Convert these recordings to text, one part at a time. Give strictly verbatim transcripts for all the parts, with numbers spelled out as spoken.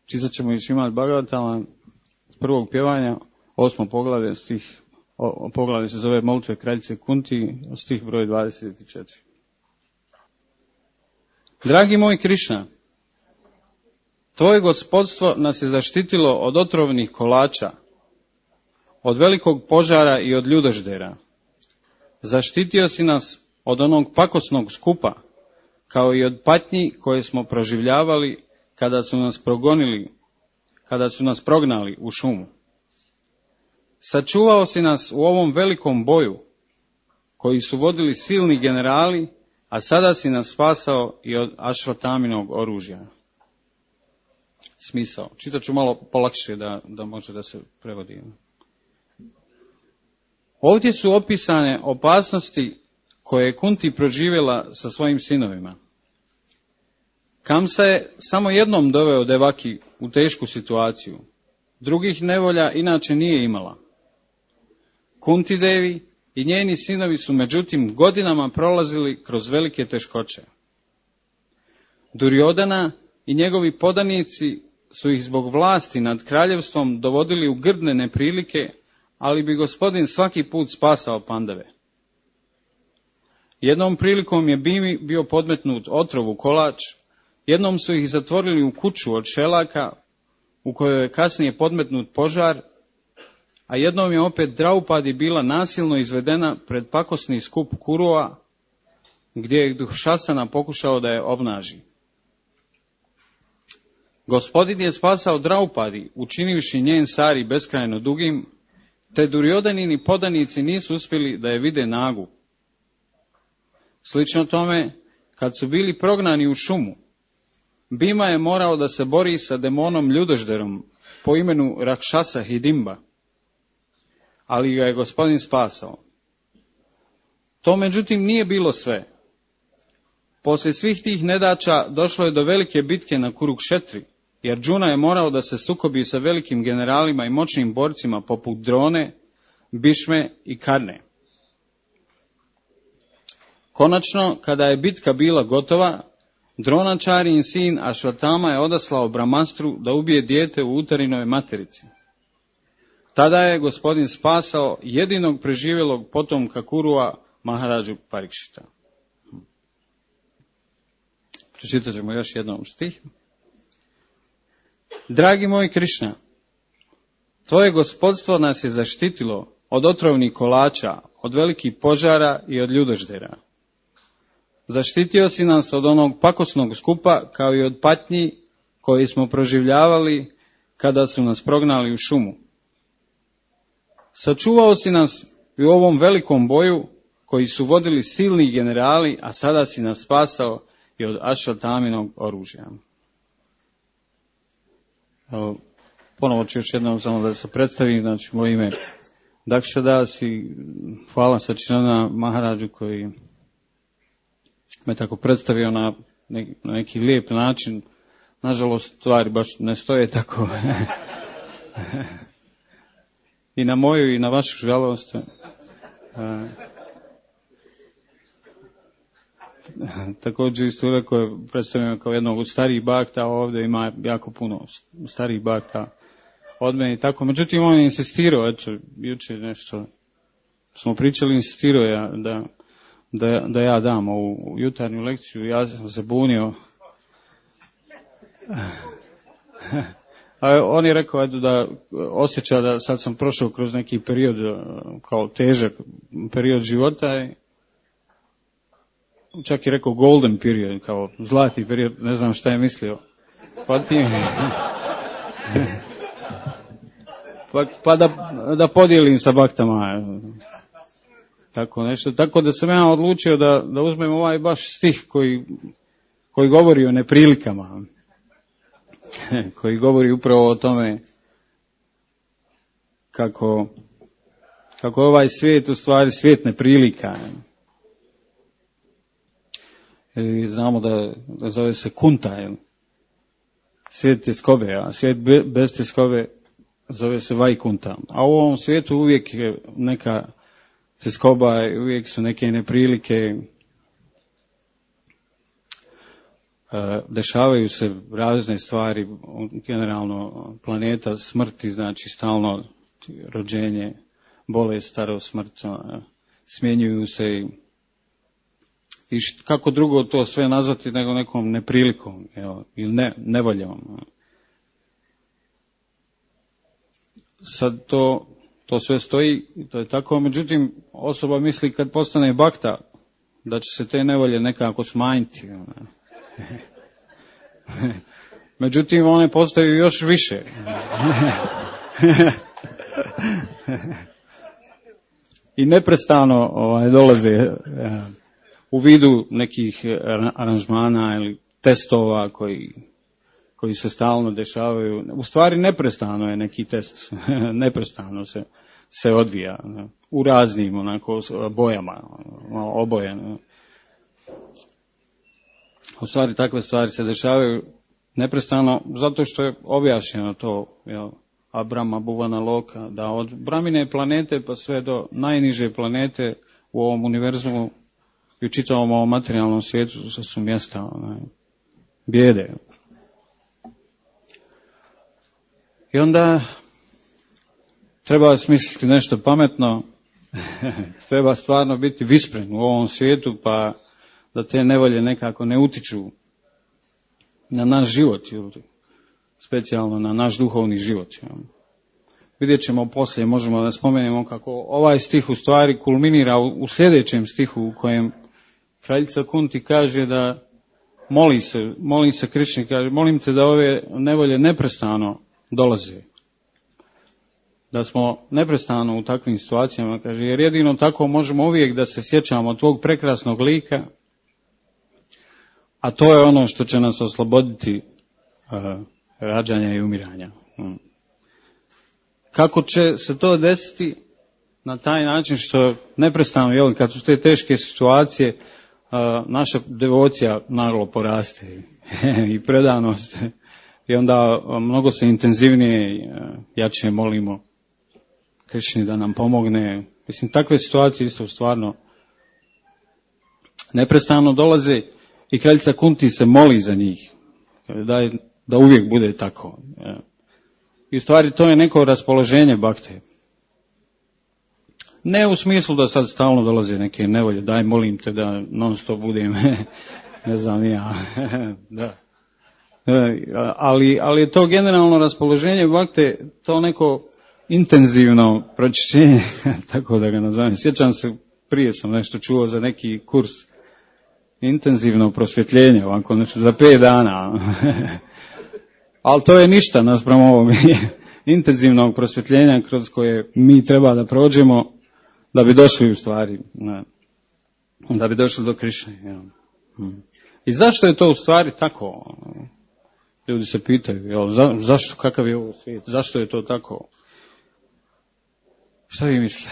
Čitat ćemo iz Šrimad Bhagavatam s prvog pjevanja, osmo poglavlje, stih, o, poglavlje se zove Molitve kraljice Kunti, stih broj dvadeset četiri. Dragi moj Krišna, tvoje gospodstvo nas je zaštitilo od otrovnih kolača, od velikog požara i od ljudoždera. Zaštitio si nas od onog pakosnog skupa, kao i od patnji koje smo proživljavali kada su nas progonili, kada su nas prognali u šumu. Sačuvao si nas u ovom velikom boju, koji su vodili silni generali, a sada si nas spasao i od Ašvataminog oružja. Smisao. Čitat ću malo polakše da, da može da se prevodi. Ovdje su opisane opasnosti koje je Kunti proživjela sa svojim sinovima. Kamsa je samo jednom doveo Devaki u tešku situaciju. Drugih nevolja inače nije imala. Kunti Devi i njeni sinovi su međutim godinama prolazili kroz velike teškoće. Duryodhana i njegovi podanici su ih zbog vlasti nad kraljevstvom dovodili u grdne neprilike, ali bi gospodin svaki put spasao Pandave. Jednom prilikom je Bimi bio podmetnut otrovu kolač, jednom su ih zatvorili u kuću od šelaka, u kojoj je kasnije podmetnut požar, a jednom je opet Draupadi bila nasilno izvedena pred pakosni skup Kurova, gdje je Dušasana pokušao da je obnaži. Gospodin je spasao Draupadi, učinivši njen sari beskrajno dugim, te Duryodanini podanici nisu uspjeli da je vide nagu. Slično tome, kad su bili prognani u šumu, Bima je morao da se bori sa demonom ljudožderom po imenu Rakšasa Hidimba, ali ga je gospodin spasao. To međutim nije bilo sve. Poslije svih tih nedaća došlo je do velike bitke na Kurukšetri, jer Džuna je morao da se sukobi sa velikim generalima i moćnim borcima poput Drone, Bišme i Karne. Konačno, kada je bitka bila gotova, Dronačarin sin Ašvatama je odaslao Brahmastru da ubije dijete u Utarinove materici. Tada je gospodin spasao jedinog preživjelog potomka Kurua, Maharadžu Parikšita. Pročitat ćemo još jednom stih. Dragi moj Krišna, tvoje gospodstvo nas je zaštitilo od otrovnih kolača, od velikih požara i od ljudoždera. Zaštitio si nas od onog pakosnog skupa, kao i od patnji koji smo proživljavali kada su nas prognali u šumu. Sačuvao si nas i u ovom velikom boju koji su vodili silni generali, a sada si nas spasao i od Ašvataminog oružja. Evo, ponovo ću još jednom samo da se predstavim, znači moje ime Dakšadas i hvala Sačinana Maharadžu koji me tako predstavio na neki, na neki lijep način. Nažalost, stvari baš ne stoje tako. I na moju i na vašu žalost. Također isto rekao je, predstavljeno kao jednog od starijih bakta, a ovdje ima jako puno starijih bakta od mene i tako. Međutim, on je insistirao, eto, jučer nešto smo pričali, insistirao je da, da, da ja dam ovu jutarnju lekciju, ja sam se bunio. A on je rekao, eto, da osjeća da sad sam prošao kroz neki period, kao težak period života i čak je rekao golden period, kao zlati period, ne znam šta je mislio. Pa, ti... pa, pa da, da podijelim sa baktama. Tako nešto. Tako da sam ja odlučio da, da uzmem ovaj baš stih koji, koji govori o neprilikama. Koji govori upravo o tome kako, kako je ovaj svijet u stvari svijet neprilika. I znamo da, da zove se Kunta, jel? Svijet tjeskobe, a svijet be, bez tjeskobe zove se Vajkunta. A u ovom svijetu uvijek je neka tjeskoba, uvijek su neke neprilike. dešavaju se razne stvari, generalno planeta smrti, znači stalno rođenje, bolest, starost, smrt, smjenjuju se i, i št, kako drugo to sve nazvati nego nekom neprilikom, evo, ili ne, nevoljom. Sad to, to sve stoji, to je tako, međutim osoba misli kad postane bakta da će se te nevolje nekako smanjiti. Međutim, one postaju još više. I neprestano ovaj, dolaze u vidu nekih aranžmana ili testova koji, koji se stalno dešavaju. U stvari neprestano je neki test. Neprestano se, se odvija u raznim onako bojama, oboje. U stvari takve stvari se dešavaju neprestano zato što je objašnjeno to, jel, Abrama Buvana Loka, da od Bramine planete pa sve do najniže planete u ovom univerzumu i u čitavom ovom materijalnom svijetu su, su mjesta onaj, bijede. I onda treba smisliti nešto pametno, treba stvarno biti vispren u ovom svijetu, pa da te nevolje nekako ne utiču na naš život, specijalno na naš duhovni život. Vidjet ćemo poslije, možemo da spomenemo kako ovaj stih u stvari kulminira u, u sljedećem stihu u kojem kraljica Kunti kaže da moli se, moli se Krišni, kaže molim te da ove nevolje neprestano dolaze. Da smo neprestano u takvim situacijama, kaže, jer jedino tako možemo uvijek da se sjećamo tvog prekrasnog lika, a to je ono što će nas osloboditi uh, rađanja i umiranja. Hmm. Kako će se to desiti? Na taj način što neprestano, jel, kad su te teške situacije, uh, naša devocija naglo poraste i predanost. I onda mnogo se intenzivnije i uh, jače molimo Krišni da nam pomogne. Mislim, takve situacije isto stvarno neprestano dolaze i kraljica Kunti se moli za njih. Da, je, da uvijek bude tako. I u stvari to je neko raspoloženje bakte. Ne u smislu da sad stalno dolaze neke nevolje, daj molim te da non stop budem, ne znam ja, da. Ali, ali je to generalno raspoloženje bakte, to neko intenzivno pročišćenje, tako da ga nazovem. Sjećam se, prije sam nešto čuo za neki kurs intenzivno prosvjetljenje, ovako nešto za pet dana. Ali to je ništa naspram ovog intenzivnog prosvjetljenja kroz koje mi treba da prođemo da bi došli u stvari, da bi došli do Krišne. I zašto je to u stvari tako? Ljudi se pitaju, jel, za, zašto, kakav je ovo svijet, zašto je to tako? Šta vi mislite?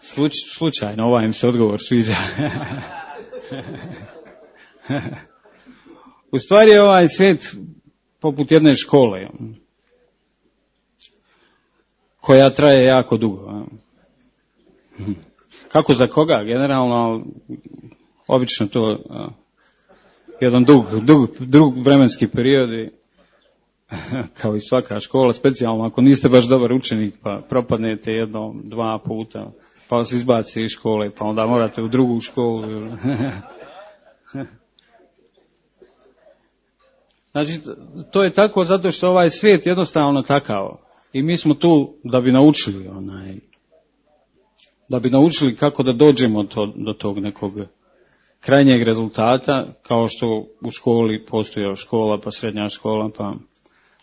Sluč, slučajno, ovaj im se odgovor sviđa. U stvari je ovaj svijet poput jedne škole, koja traje jako dugo. Kako za koga? Generalno, obično to jedan dug, dug, dug vremenski period i kao i svaka škola, specijalno ako niste baš dobar učenik pa propadnete jedno, dva puta, pa vas izbaci iz škole, pa onda morate u drugu školu. Znači, to je tako zato što ovaj svijet jednostavno takav. I mi smo tu da bi naučili onaj, da bi naučili kako da dođemo to, do tog nekog krajnjeg rezultata, kao što u školi postoji škola, pa srednja škola, pa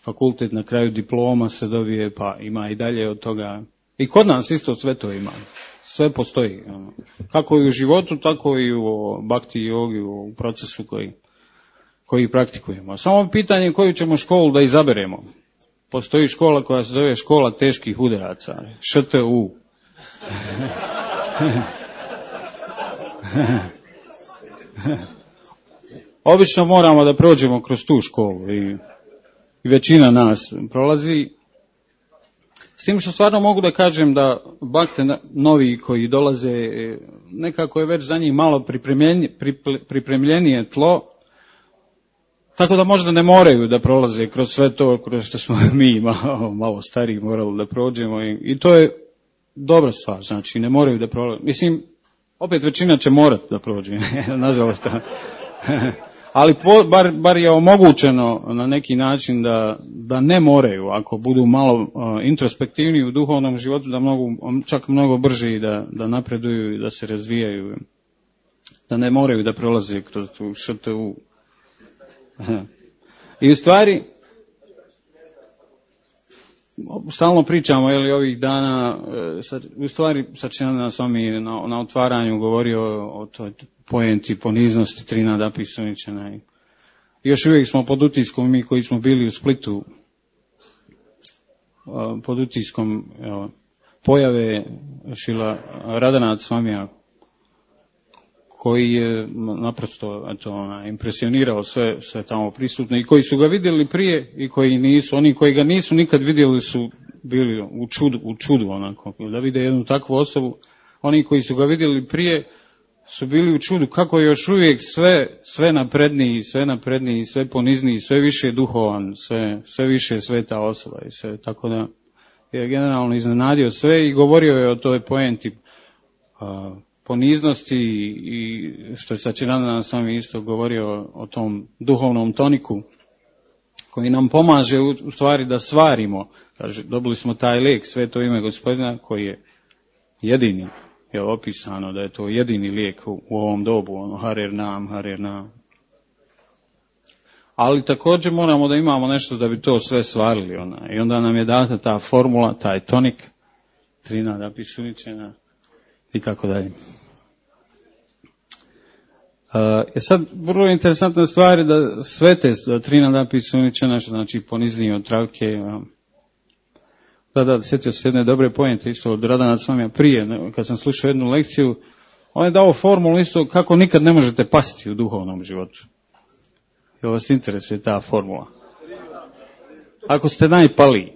fakultet, na kraju diploma se dobije, pa ima i dalje od toga. I kod nas isto sve to ima. Sve postoji. Kako i u životu, tako i u bhakti jogi, u procesu koji, koji praktikujemo. Samo pitanje koju ćemo školu da izaberemo. Postoji škola koja se zove škola teških udaraca. Š T U. Obično moramo da prođemo kroz tu školu i, i većina nas prolazi. S tim što stvarno mogu da kažem da bakte novi koji dolaze, nekako je već za njih malo pripremljenije tlo, tako da možda ne moraju da prolaze kroz sve to kroz što smo mi malo, malo stariji morali da prođemo i, i to je dobra stvar, znači ne moraju da prolaze. Mislim, opet većina će morati da prođe, nažalost. Ali po, bar, bar je omogućeno na neki način da, da ne moraju, ako budu malo uh, introspektivni u duhovnom životu, da mogu čak mnogo brže i da, da napreduju i da se razvijaju, da ne moraju da prolaze kroz tu š t u. I u stvari, stalno pričamo, je li ovih dana, u stvari Sačinjana s vami na, na otvaranju govorio o, o toj poenti poniznosti Trinada Pisuničana. I još uvijek smo pod utiskom, mi koji smo bili u Splitu, pod utiskom evo, pojave Šila Radanac Svamija, koji je naprosto eto, ona, impresionirao sve, sve tamo prisutne i koji su ga vidjeli prije i koji nisu. Oni koji ga nisu nikad vidjeli su bili u čudu, u čudu onako, da vide jednu takvu osobu. Oni koji su ga vidjeli prije su bili u čudu kako je još uvijek sve, sve napredniji, sve napredniji, sve ponizniji, sve više duhovan, sve, sve više sveta osoba i sve. Tako da je generalno iznenadio sve i govorio je o toj poenti a, poniznosti i što je Sačinjana sam isto govorio o tom duhovnom toniku koji nam pomaže u, u stvari da svarimo. Kaže, dobili smo taj lijek, sveto ime Gospodina koji je jedini, je opisano da je to jedini lijek u, u ovom dobu, ono harer nam, harer nam. Ali također moramo da imamo nešto da bi to sve svarili. Ona. I onda nam je data ta formula, taj tonik, Trinada Pisuničana i tako dalje. Je sad vrlo interesantna stvar je da svete da Trinada Pisuničana, što znači ponizniji od travke. Da, da, sjetio se jedne dobre pojente isto od Radanac Svamija prije, kad sam slušao jednu lekciju, on je dao formulu isto kako nikad ne možete pasti u duhovnom životu. Jel vas interesuje ta formula? Ako ste najpaliji.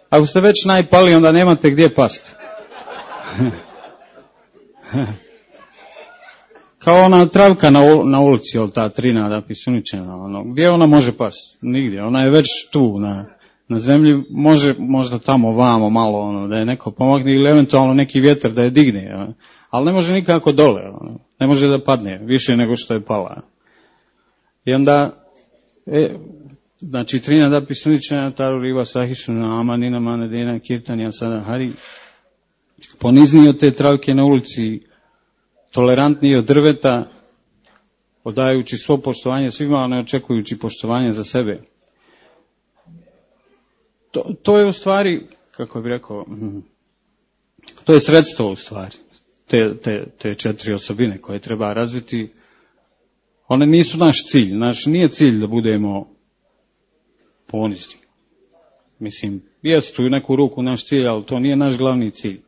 Ako ste već najpaliji, onda nemate gdje pasti. Kao ona travka na, na ulici, jel ta Trinada Pisuničana, ono, gdje ona može pasti? Nigdje, ona je već tu na, na zemlji, može možda tamo vamo malo, ono, da je neko pomogne ili eventualno neki vjetar da je digne, ono, ali ne može nikako dole, ono, ne može da padne više nego što je pala. I onda, e, znači Trinada Pisuničana, Taru Riva Sahišuna, Amanina Manedina, Kirtanija Sada Hari, ponizniji od te travke na ulici, tolerantniji od drveta, odajući svo poštovanje svima, a ne očekujući poštovanje za sebe. To, to je u stvari, kako bih rekao, to je sredstvo u stvari, te, te, te četiri osobine koje treba razviti. One nisu naš cilj, naš nije cilj da budemo ponizni. Mislim, jest u neku ruku naš cilj, ali to nije naš glavni cilj.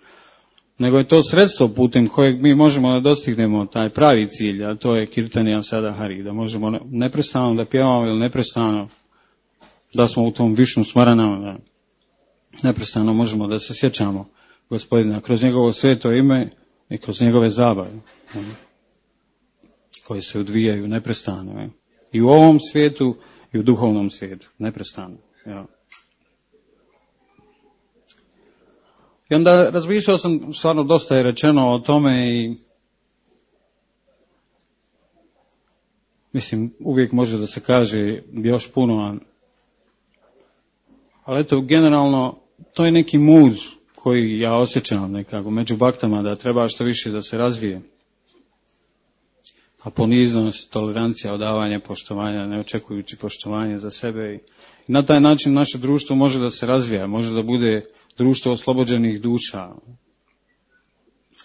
Nego je to sredstvo putem kojeg mi možemo da dostignemo taj pravi cilj, a to je Kirtanija Sada Hari, da možemo neprestano da pjevamo ili neprestano da smo u tom višnu smaranama, da neprestano možemo da se sjećamo Gospodina kroz njegovo sveto ime i kroz njegove zabave koje se odvijaju neprestano. I u ovom svijetu i u duhovnom svijetu, neprestano. Ja. I onda razmišljao sam, stvarno dosta je rečeno o tome i mislim, uvijek može da se kaže još puno, ali eto, generalno, to je neki mud koji ja osjećam nekako među baktama da treba što više da se razvije. A poniznost, tolerancija, odavanje, poštovanja, ne očekujući poštovanje za sebe. I na taj način naše društvo može da se razvija, može da bude društvo oslobođenih duša.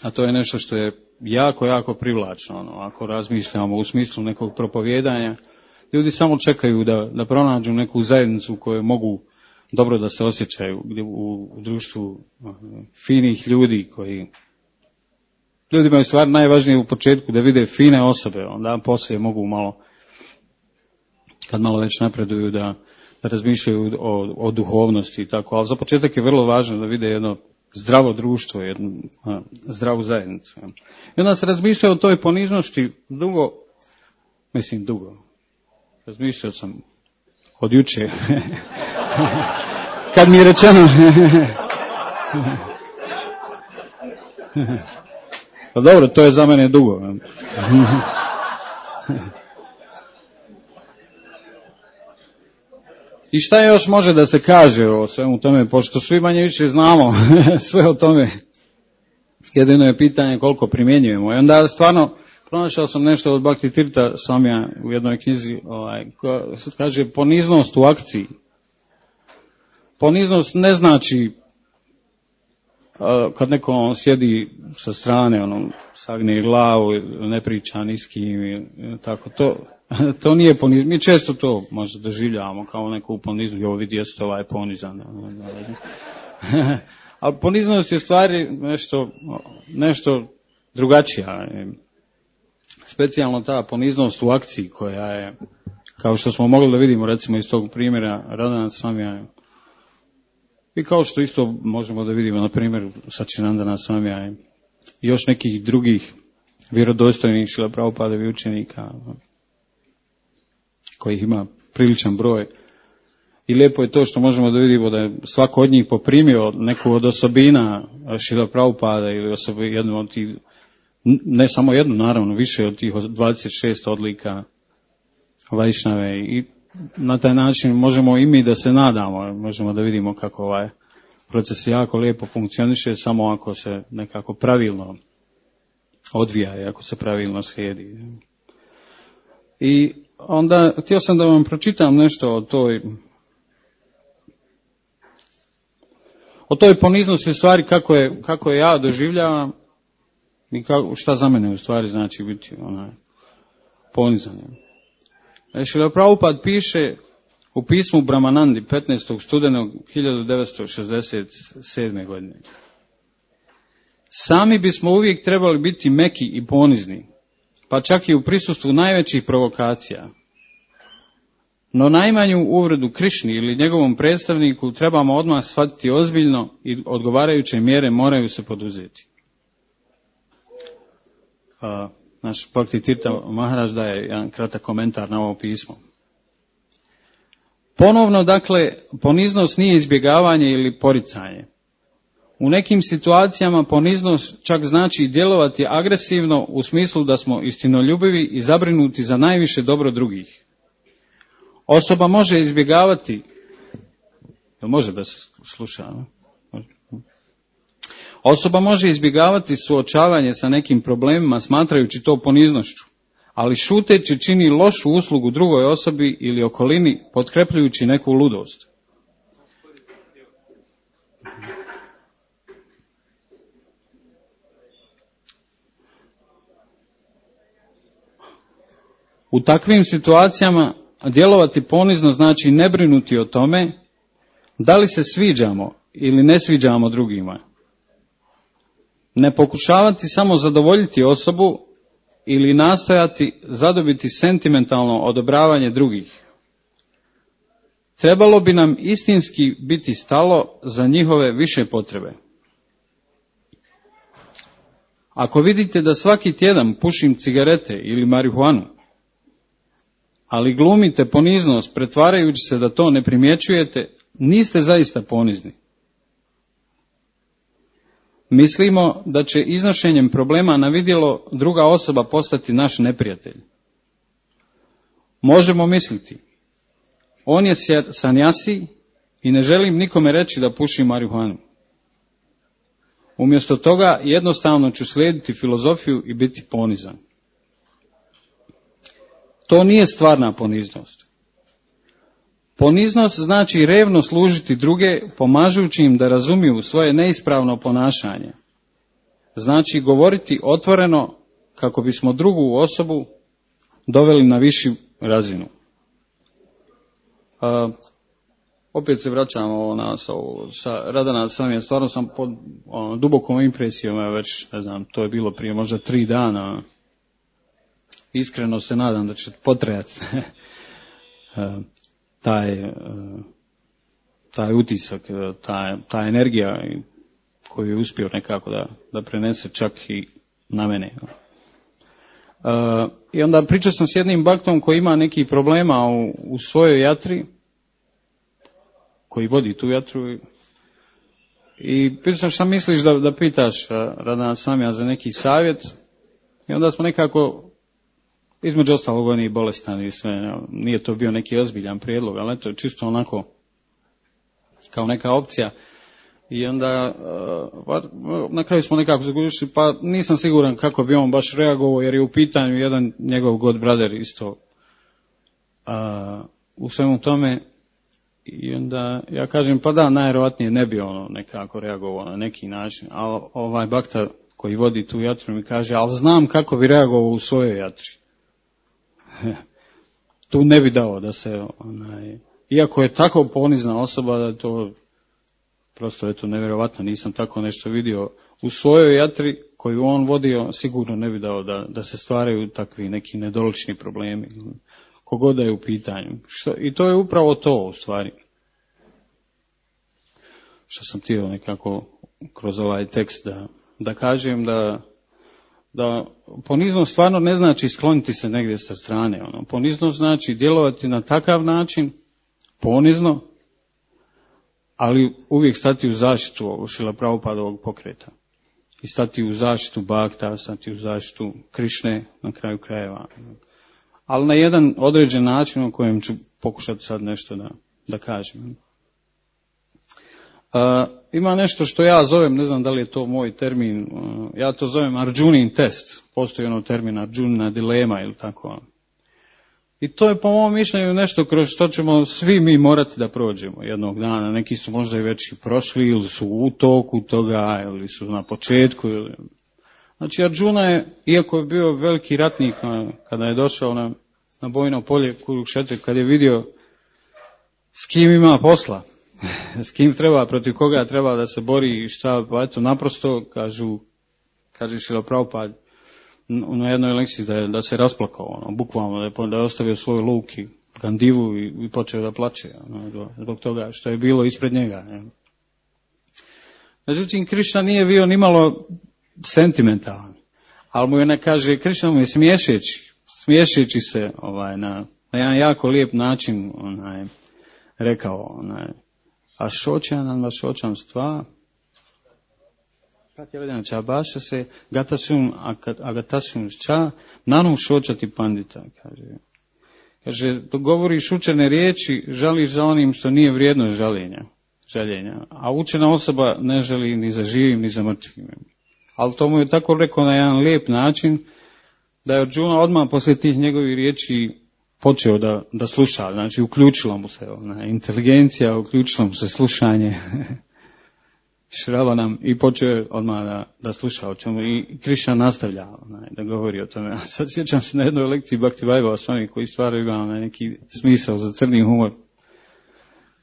A to je nešto što je jako, jako privlačno. Ono, ako razmišljamo u smislu nekog propovijedanja, ljudi samo čekaju da, da pronađu neku zajednicu koju mogu dobro da se osjećaju u, u društvu finih ljudi koji... Ljudima je stvar najvažnije u početku da vide fine osobe, onda poslije mogu malo, kad malo već napreduju, da, razmišljaju o, o duhovnosti i tako, ali za početak je vrlo važno da vide jedno zdravo društvo, jednu a, zdravu zajednicu. I onda se razmišljao o toj poniznosti dugo, mislim dugo, razmišljao sam od juče, kad mi je rečeno, pa dobro, to je za mene dugo. I šta još može da se kaže o svemu tome, pošto svi manje više znamo sve o tome. Jedino je pitanje koliko primjenjujemo. I onda stvarno pronašao sam nešto od Bhakti Tirtha Swamija u jednoj knjizi, ovaj, koja kaže poniznost u akciji. Poniznost ne znači kad neko on sjedi sa strane, ono, sagne glavu, ne priča ni s kim, i tako, to, to nije poniznost. Mi često to možda doživljavamo kao neku poniznost, jo vidi jeste ovaj ponizan. Ali poniznost je stvari nešto, nešto drugačija. Specijalno ta poniznost u akciji koja je, kao što smo mogli da vidimo recimo iz tog primjera Radhanath Swamija, i kao što isto možemo da vidimo na primjer Sačinandana Swamija i još nekih drugih vjerodostojnih Šrila Prabhupadevi učenika, kojih ima priličan broj. I lijepo je to što možemo da vidimo da je svako od njih poprimio neku od osobina Šrila Prabhupada ili osobi, jednu od tih, ne samo jednu, naravno, više od tih dvadeset šest odlika Vajšnave, i na taj način možemo i mi da se nadamo, možemo da vidimo kako ovaj proces jako lijepo funkcioniše, samo ako se nekako pravilno odvija i ako se pravilno slijedi. I onda htio sam da vam pročitam nešto o toj o toj poniznosti u stvari kako je, kako je ja doživljavam i kako, šta za mene u stvari znači biti onaj ponizan. Šrila Prabhupada piše u pismu Brahmanandi petnaestog studenog hiljadu devetsto šezdeset sedme. godine. Sami bismo uvijek trebali biti meki i ponizni, pa čak i u prisustvu najvećih provokacija. No najmanju uvredu Krišni ili njegovom predstavniku trebamo odmah shvatiti ozbiljno i odgovarajuće mjere moraju se poduzeti. A, naš Bhakti Tirtha Maharaj daje jedan kratak komentar na ovo pismo. Ponovno, dakle, poniznost nije izbjegavanje ili poricanje. U nekim situacijama poniznost čak znači djelovati agresivno u smislu da smo istinoljubivi i zabrinuti za najviše dobro drugih. Osoba može izbjegavati, jel može da se sluša, ne? Osoba može izbjegavati suočavanje sa nekim problemima smatrajući to poniznošću, ali šuteći čini lošu uslugu drugoj osobi ili okolini potkrepljujući neku ludost. U takvim situacijama djelovati ponizno znači ne brinuti o tome da li se sviđamo ili ne sviđamo drugima. Ne pokušavati samo zadovoljiti osobu ili nastojati zadobiti sentimentalno odobravanje drugih. Trebalo bi nam istinski biti stalo za njihove više potrebe. Ako vidite da svaki tjedan pušim cigarete ili marihuanu, ali glumite poniznost pretvarajući se da to ne primjećujete, niste zaista ponizni. Mislimo da će iznošenjem problema na vidjelo druga osoba postati naš neprijatelj. Možemo misliti, on je sanjasi i ne želim nikome reći da puši marihuanu. Umjesto toga jednostavno ću slijediti filozofiju i biti ponizan. To nije stvarna poniznost. Poniznost znači revno služiti druge, pomažući im da razumiju svoje neispravno ponašanje. Znači govoriti otvoreno kako bismo drugu osobu doveli na višu razinu. A, opet se vraćamo na, sa, sa Radhanath Swamijem, stvarno sam pod ono, dubokom impresijom, ja već, ne znam, to je bilo prije možda tri dana. Iskreno se nadam da će potrajati. taj, taj utisak, ta, ta energija koju je uspio nekako da, da prenese čak i na mene. Uh, I onda pričao sam s jednim baktom koji ima nekih problema u, u svojoj jatri, koji vodi tu jatru, i pitao sam šta misliš da, da pitaš Radana Samija za neki savjet, i onda smo nekako, između ostalog on je bolestan i sve, nije to bio neki ozbiljan prijedlog, ali to je čisto onako kao neka opcija. I onda uh, na kraju smo nekako zagušili, pa nisam siguran kako bi on baš reagovao, jer je u pitanju jedan njegov god brother isto uh, u svemu tome. I onda ja kažem, pa da, najvjerojatnije ne bi ono nekako reagovao na neki način, ali ovaj bakta koji vodi tu jatru mi kaže, ali znam kako bi reagovao u svojoj jatri. Tu ne bi dao da se, onaj, iako je tako ponizna osoba da to prosto je to nevjerovatno, nisam tako nešto vidio u svojoj jatri koju on vodio, sigurno ne bi dao da, da se stvaraju takvi neki nedolični problemi, kogod da je u pitanju. Što, i to je upravo to u stvari. Što sam htio nekako kroz ovaj tekst da, da kažem da, da poniznost stvarno ne znači skloniti se negdje sa strane. Ono. Poniznost znači djelovati na takav način, ponizno, ali uvijek stati u zaštitu ovog Šrila Prabhupadovog pokreta. I stati u zaštitu Bhakta, stati u zaštitu Krišne na kraju krajeva. Ali na jedan određen način o kojem ću pokušati sad nešto da, da kažem. Uh, ima nešto što ja zovem, ne znam da li je to moj termin, uh, ja to zovem Arjunin test. Postoji ono termin Arjuna dilema ili tako. I to je po mom mišljenju nešto kroz što ćemo svi mi morati da prođemo jednog dana. Neki su možda i već prošli ili su u toku toga ili su na početku. Ili... Znači Arjuna je, iako je bio veliki ratnik kada je došao na, na bojno polje Kurukšetre, kad je vidio s kim ima posla, s kim treba, protiv koga treba da se bori i šta, pa eto naprosto kažu, kaže Šrila Prabhupada na jednoj lekciji da, je, da se rasplakao, ono, bukvalno da je, da je ostavio svoj luk i gandivu i, i počeo da plače, ono, zbog toga što je bilo ispred njega. Ne. Međutim, Krišna nije bio nimalo sentimentalan, ali mu je ne kaže, Krišna mu je smiješeći, smiješeći se ovaj, na, na jedan jako lijep način onaj, rekao, onaj, a šočanan vas šočam stva, Pratjavedana čabaša se, gatasum agatasum ča, nanu šočati pandita, kaže. Kaže, dok govoriš učene riječi, žališ za onim što nije vrijedno žaljenja, žaljenja, a učena osoba ne žali ni za živim, ni za mrtvim. Ali to mu je tako rekao na jedan lijep način, da je Arjuna odmah poslije tih njegovih riječi počeo da, da sluša, znači uključila mu se ona inteligencija, uključila mu se slušanje. Šrava nam i počeo odmah da, da sluša o čemu i Krišna nastavlja onaj, da govori o tome. A sad sjećam se na jednoj lekciji Bhakti Vaibhava Swami koji stvarno ima onaj, neki smisao za crni humor.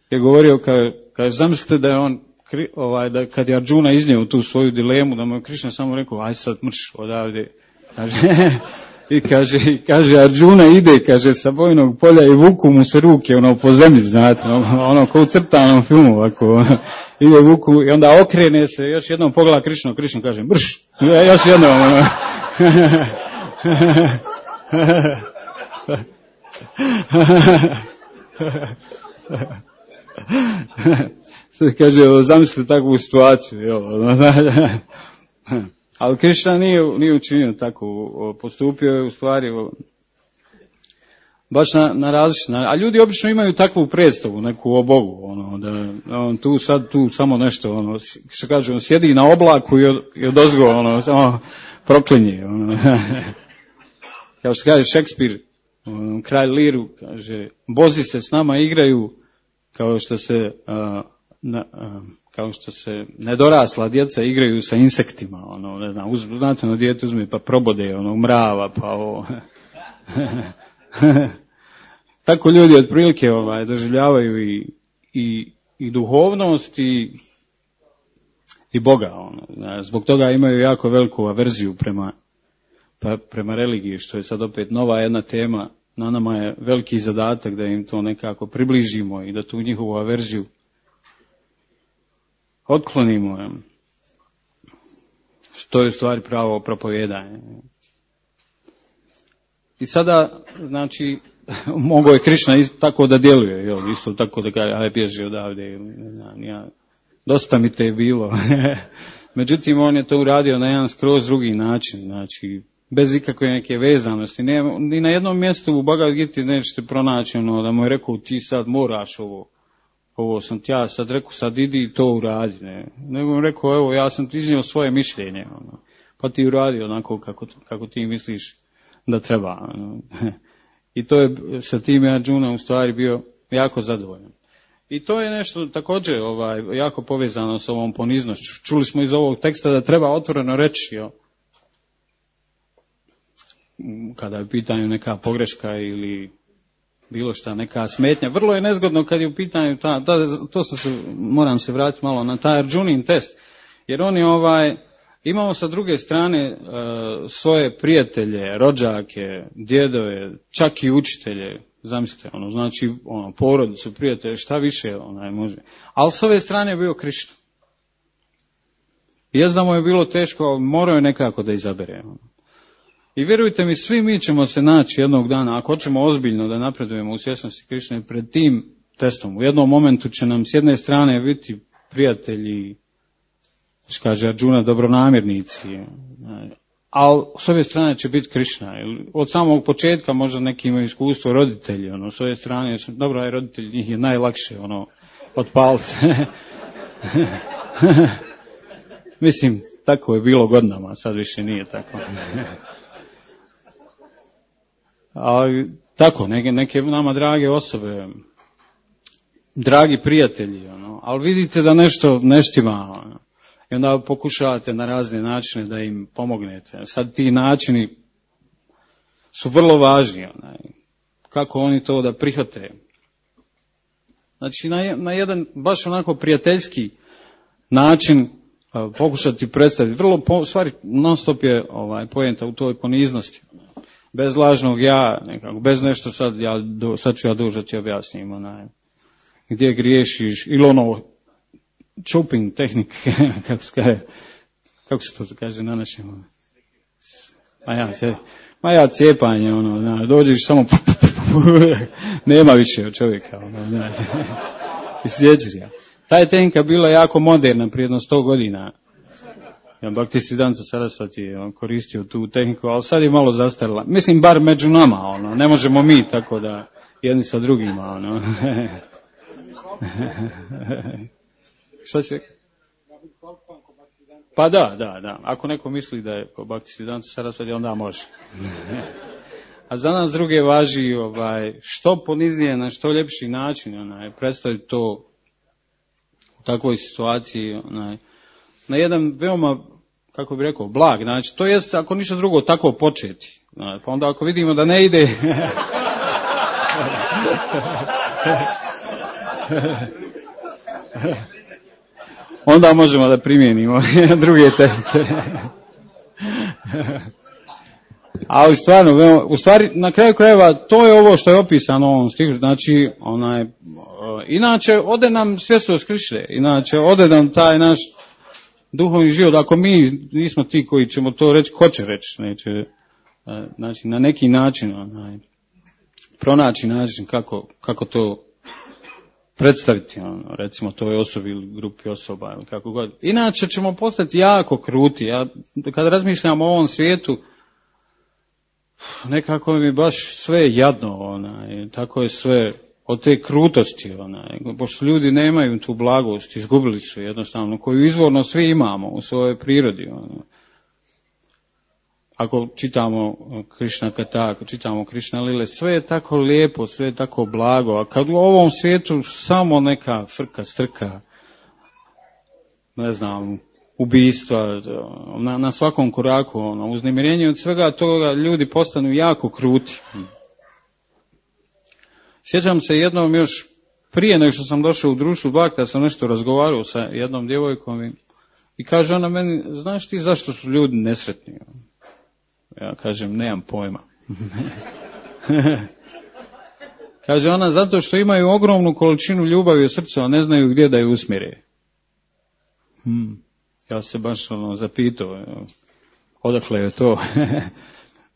Je govorio, kaže, kaže zamislite da je on, ovaj, da kad je Arjuna iznio tu svoju dilemu, da mu je Krišna samo rekao, aj sad mrš odavde. Kaže, i kaže, kaže Arjuna ide, kaže, sa bojnog polja i vuku mu se ruke, ono, po zemlji, znate, ono, ono ko u crtanom filmu, ovako, ide vuku i onda okrene se, još jednom pogleda Krišnu, Krišnu kaže, brš, još jednom, ono. Sad kaže, zamislite takvu situaciju, jel, ali Krišna nije, nije učinio tako, postupio je u stvari baš na, na različit, a ljudi obično imaju takvu predstavu, neku o Bogu, ono, da on tu sad tu samo nešto, ono, što kaže, on sjedi na oblaku i, od, i odozgo, ono, samo proklinje, ono. Kao što kaže Šekspir, on, kralj Liru, kaže, bozi se s nama igraju kao što se, a, na, a, kao što se nedorasla djeca igraju sa insektima, ono, ne znam, uz, znate, ono, dijete uzme pa probode, ono, mrava, pa ovo. Tako ljudi otprilike ovaj, doživljavaju i, i, i duhovnost i, i Boga. Ono. Zbog toga imaju jako veliku averziju prema, pa, prema religiji, što je sad opet nova jedna tema na nama je veliki zadatak da im to nekako približimo i da tu njihovu averziju otklonimo. Što je u stvari pravo propovijedanje. I sada, znači, mogao je Krišna tako da djeluje, jel, isto tako da kaže, aj bježi odavde, ne znam, ja, dosta mi te je bilo. Međutim, on je to uradio na jedan skroz drugi način, znači, bez ikakve neke vezanosti. Ne, ni na jednom mjestu u Bhagavad Giti nećete pronaći ono da mu je rekao ti sad moraš ovo, ovo sam ti ja sad rekao, sad idi i to uradi. Ne. Nego mu rekao, evo ja sam ti iznio svoje mišljenje, ono, pa ti uradi onako kako, kako ti misliš da treba. Ono. I to je sa tim Arjuna u stvari bio jako zadovoljan. I to je nešto također ovaj, jako povezano s ovom poniznošću. Čuli smo iz ovog teksta da treba otvoreno reći, jo, kada je u pitanju neka pogreška ili bilo šta, neka smetnja. Vrlo je nezgodno kad je u pitanju ta, ta to sam se, moram se vratiti malo na taj Arjunin test, jer on je ovaj, imao sa druge strane uh, svoje prijatelje, rođake, djedove, čak i učitelje, zamislite, ono, znači, ono, porodicu, prijatelje, šta više onaj može. Ali s ove strane je bio Krišna. I da mu je bilo teško, morao je nekako da izabere. Ono. I vjerujte mi, svi mi ćemo se naći jednog dana, ako hoćemo ozbiljno da napredujemo u svjesnosti Krišne, pred tim testom. U jednom momentu će nam s jedne strane biti prijatelji, što kaže Arjuna, dobronamjernici, ali s ove strane će biti Krišna. Od samog početka možda neki imaju iskustvo roditelji, ono, s ove strane, dobro, aj roditelji, njih je najlakše, ono, otpaliti. Mislim, tako je bilo godinama, sad više nije tako. Ali tako, neke, neke nama drage osobe, dragi prijatelji, ono, ali vidite da nešto neštima, ono, i onda pokušavate na razne načine da im pomognete. Sad ti načini su vrlo važni, onaj, kako oni to da prihvate. Znači, na, na jedan baš onako prijateljski način a, pokušati predstaviti. Vrlo, po, stvari, non stop je ovaj, poenta u toj poniznosti. Bez lažnog ja, nekako, bez nešto sad, ja, do, sad ću ja duža ti objasnim, onaj, gdje griješiš, ili ono, chopping tehnik, kako se kaže, kako se to kaže na našem, ma ja, se, ma ja cijepanje, ono, na, dođeš samo, nema više od čovjeka, ono, znači, i sjećaš ja. Ta je tehnika bila jako moderna prije jedno sto godina. Ja, Bhaktisiddhanta Sarasvati je on koristio tu tehniku, ali sad je malo zastarila. Mislim, bar među nama, ono, ne možemo mi tako da jedni sa drugima, ono. Šta će? Pa da, da, da. Ako neko misli da je po Bhaktisiddhanta Sarasvati, onda može. A za nas druge važi ovaj, što poniznije, na što ljepši način, onaj, predstaviti to u takvoj situaciji, onaj, na jedan veoma, kako bih rekao, blag, znači, to jest, ako ništa drugo, tako početi. Znači, pa onda ako vidimo da ne ide, onda možemo da primijenimo druge tehnike. Ali stvarno, u stvari, na kraju krajeva, to je ovo što je opisano u ovom stihu, znači, onaj, inače, ode nam svjesnost Krišne, inače, ode nam taj naš duhovni život, ako mi nismo ti koji ćemo to reći, ko će reći, neće, znači, na neki način, onaj, pronaći način kako, kako to predstaviti, ono, recimo toj osobi ili grupi osoba, ili kako god. Inače ćemo postati jako kruti. Ja, kada razmišljam o ovom svijetu, nekako mi baš sve jadno, onaj, tako je sve od te krutosti, onaj, pošto ljudi nemaju tu blagost, izgubili su jednostavno, koju izvorno svi imamo u svojoj prirodi. Onaj. Ako čitamo Krišna Kata, ako čitamo Krišna Lile, sve je tako lijepo, sve je tako blago, a kad u ovom svijetu samo neka frka, strka, ne znam, ubistva, na, na svakom koraku, ono, uznemirenje od svega toga ljudi postanu jako kruti. Sjećam se jednom još prije nego što sam došao u društvu Bhakta, sam nešto razgovarao sa jednom djevojkom i, i kaže ona meni, znaš ti zašto su ljudi nesretni? Ja kažem, nemam pojma. Kaže ona, zato što imaju ogromnu količinu ljubavi u srcu, a ne znaju gdje da je usmjere. Hmm. Ja se baš ono, zapitao, odakle je to.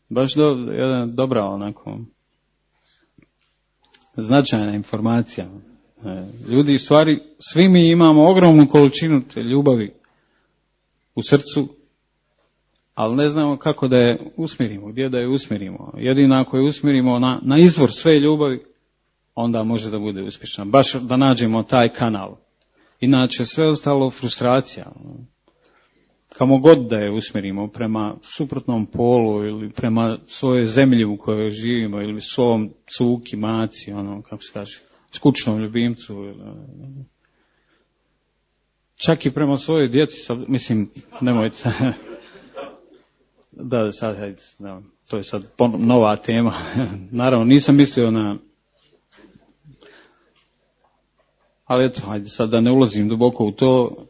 Baš do, jedna dobra onako značajna informacija. Ljudi, u stvari, svi mi imamo ogromnu količinu te ljubavi u srcu, ali ne znamo kako da je usmjerimo, gdje da je usmjerimo. Jedino ako je usmjerimo na, na izvor sve ljubavi, onda može da bude uspješna. Baš da nađemo taj kanal. Inače, sve ostalo frustracija. Kamo god da je usmjerimo prema suprotnom polu ili prema svojoj zemlji u kojoj živimo ili svom cuki, maci, ono, kako se kaže, skučnom ljubimcu. Čak i prema svojoj djeci, mislim, nemojte, da, sad, hajde, da, to je sad nova tema. Naravno, nisam mislio na, ali eto, hajde, sad da ne ulazim duboko u to,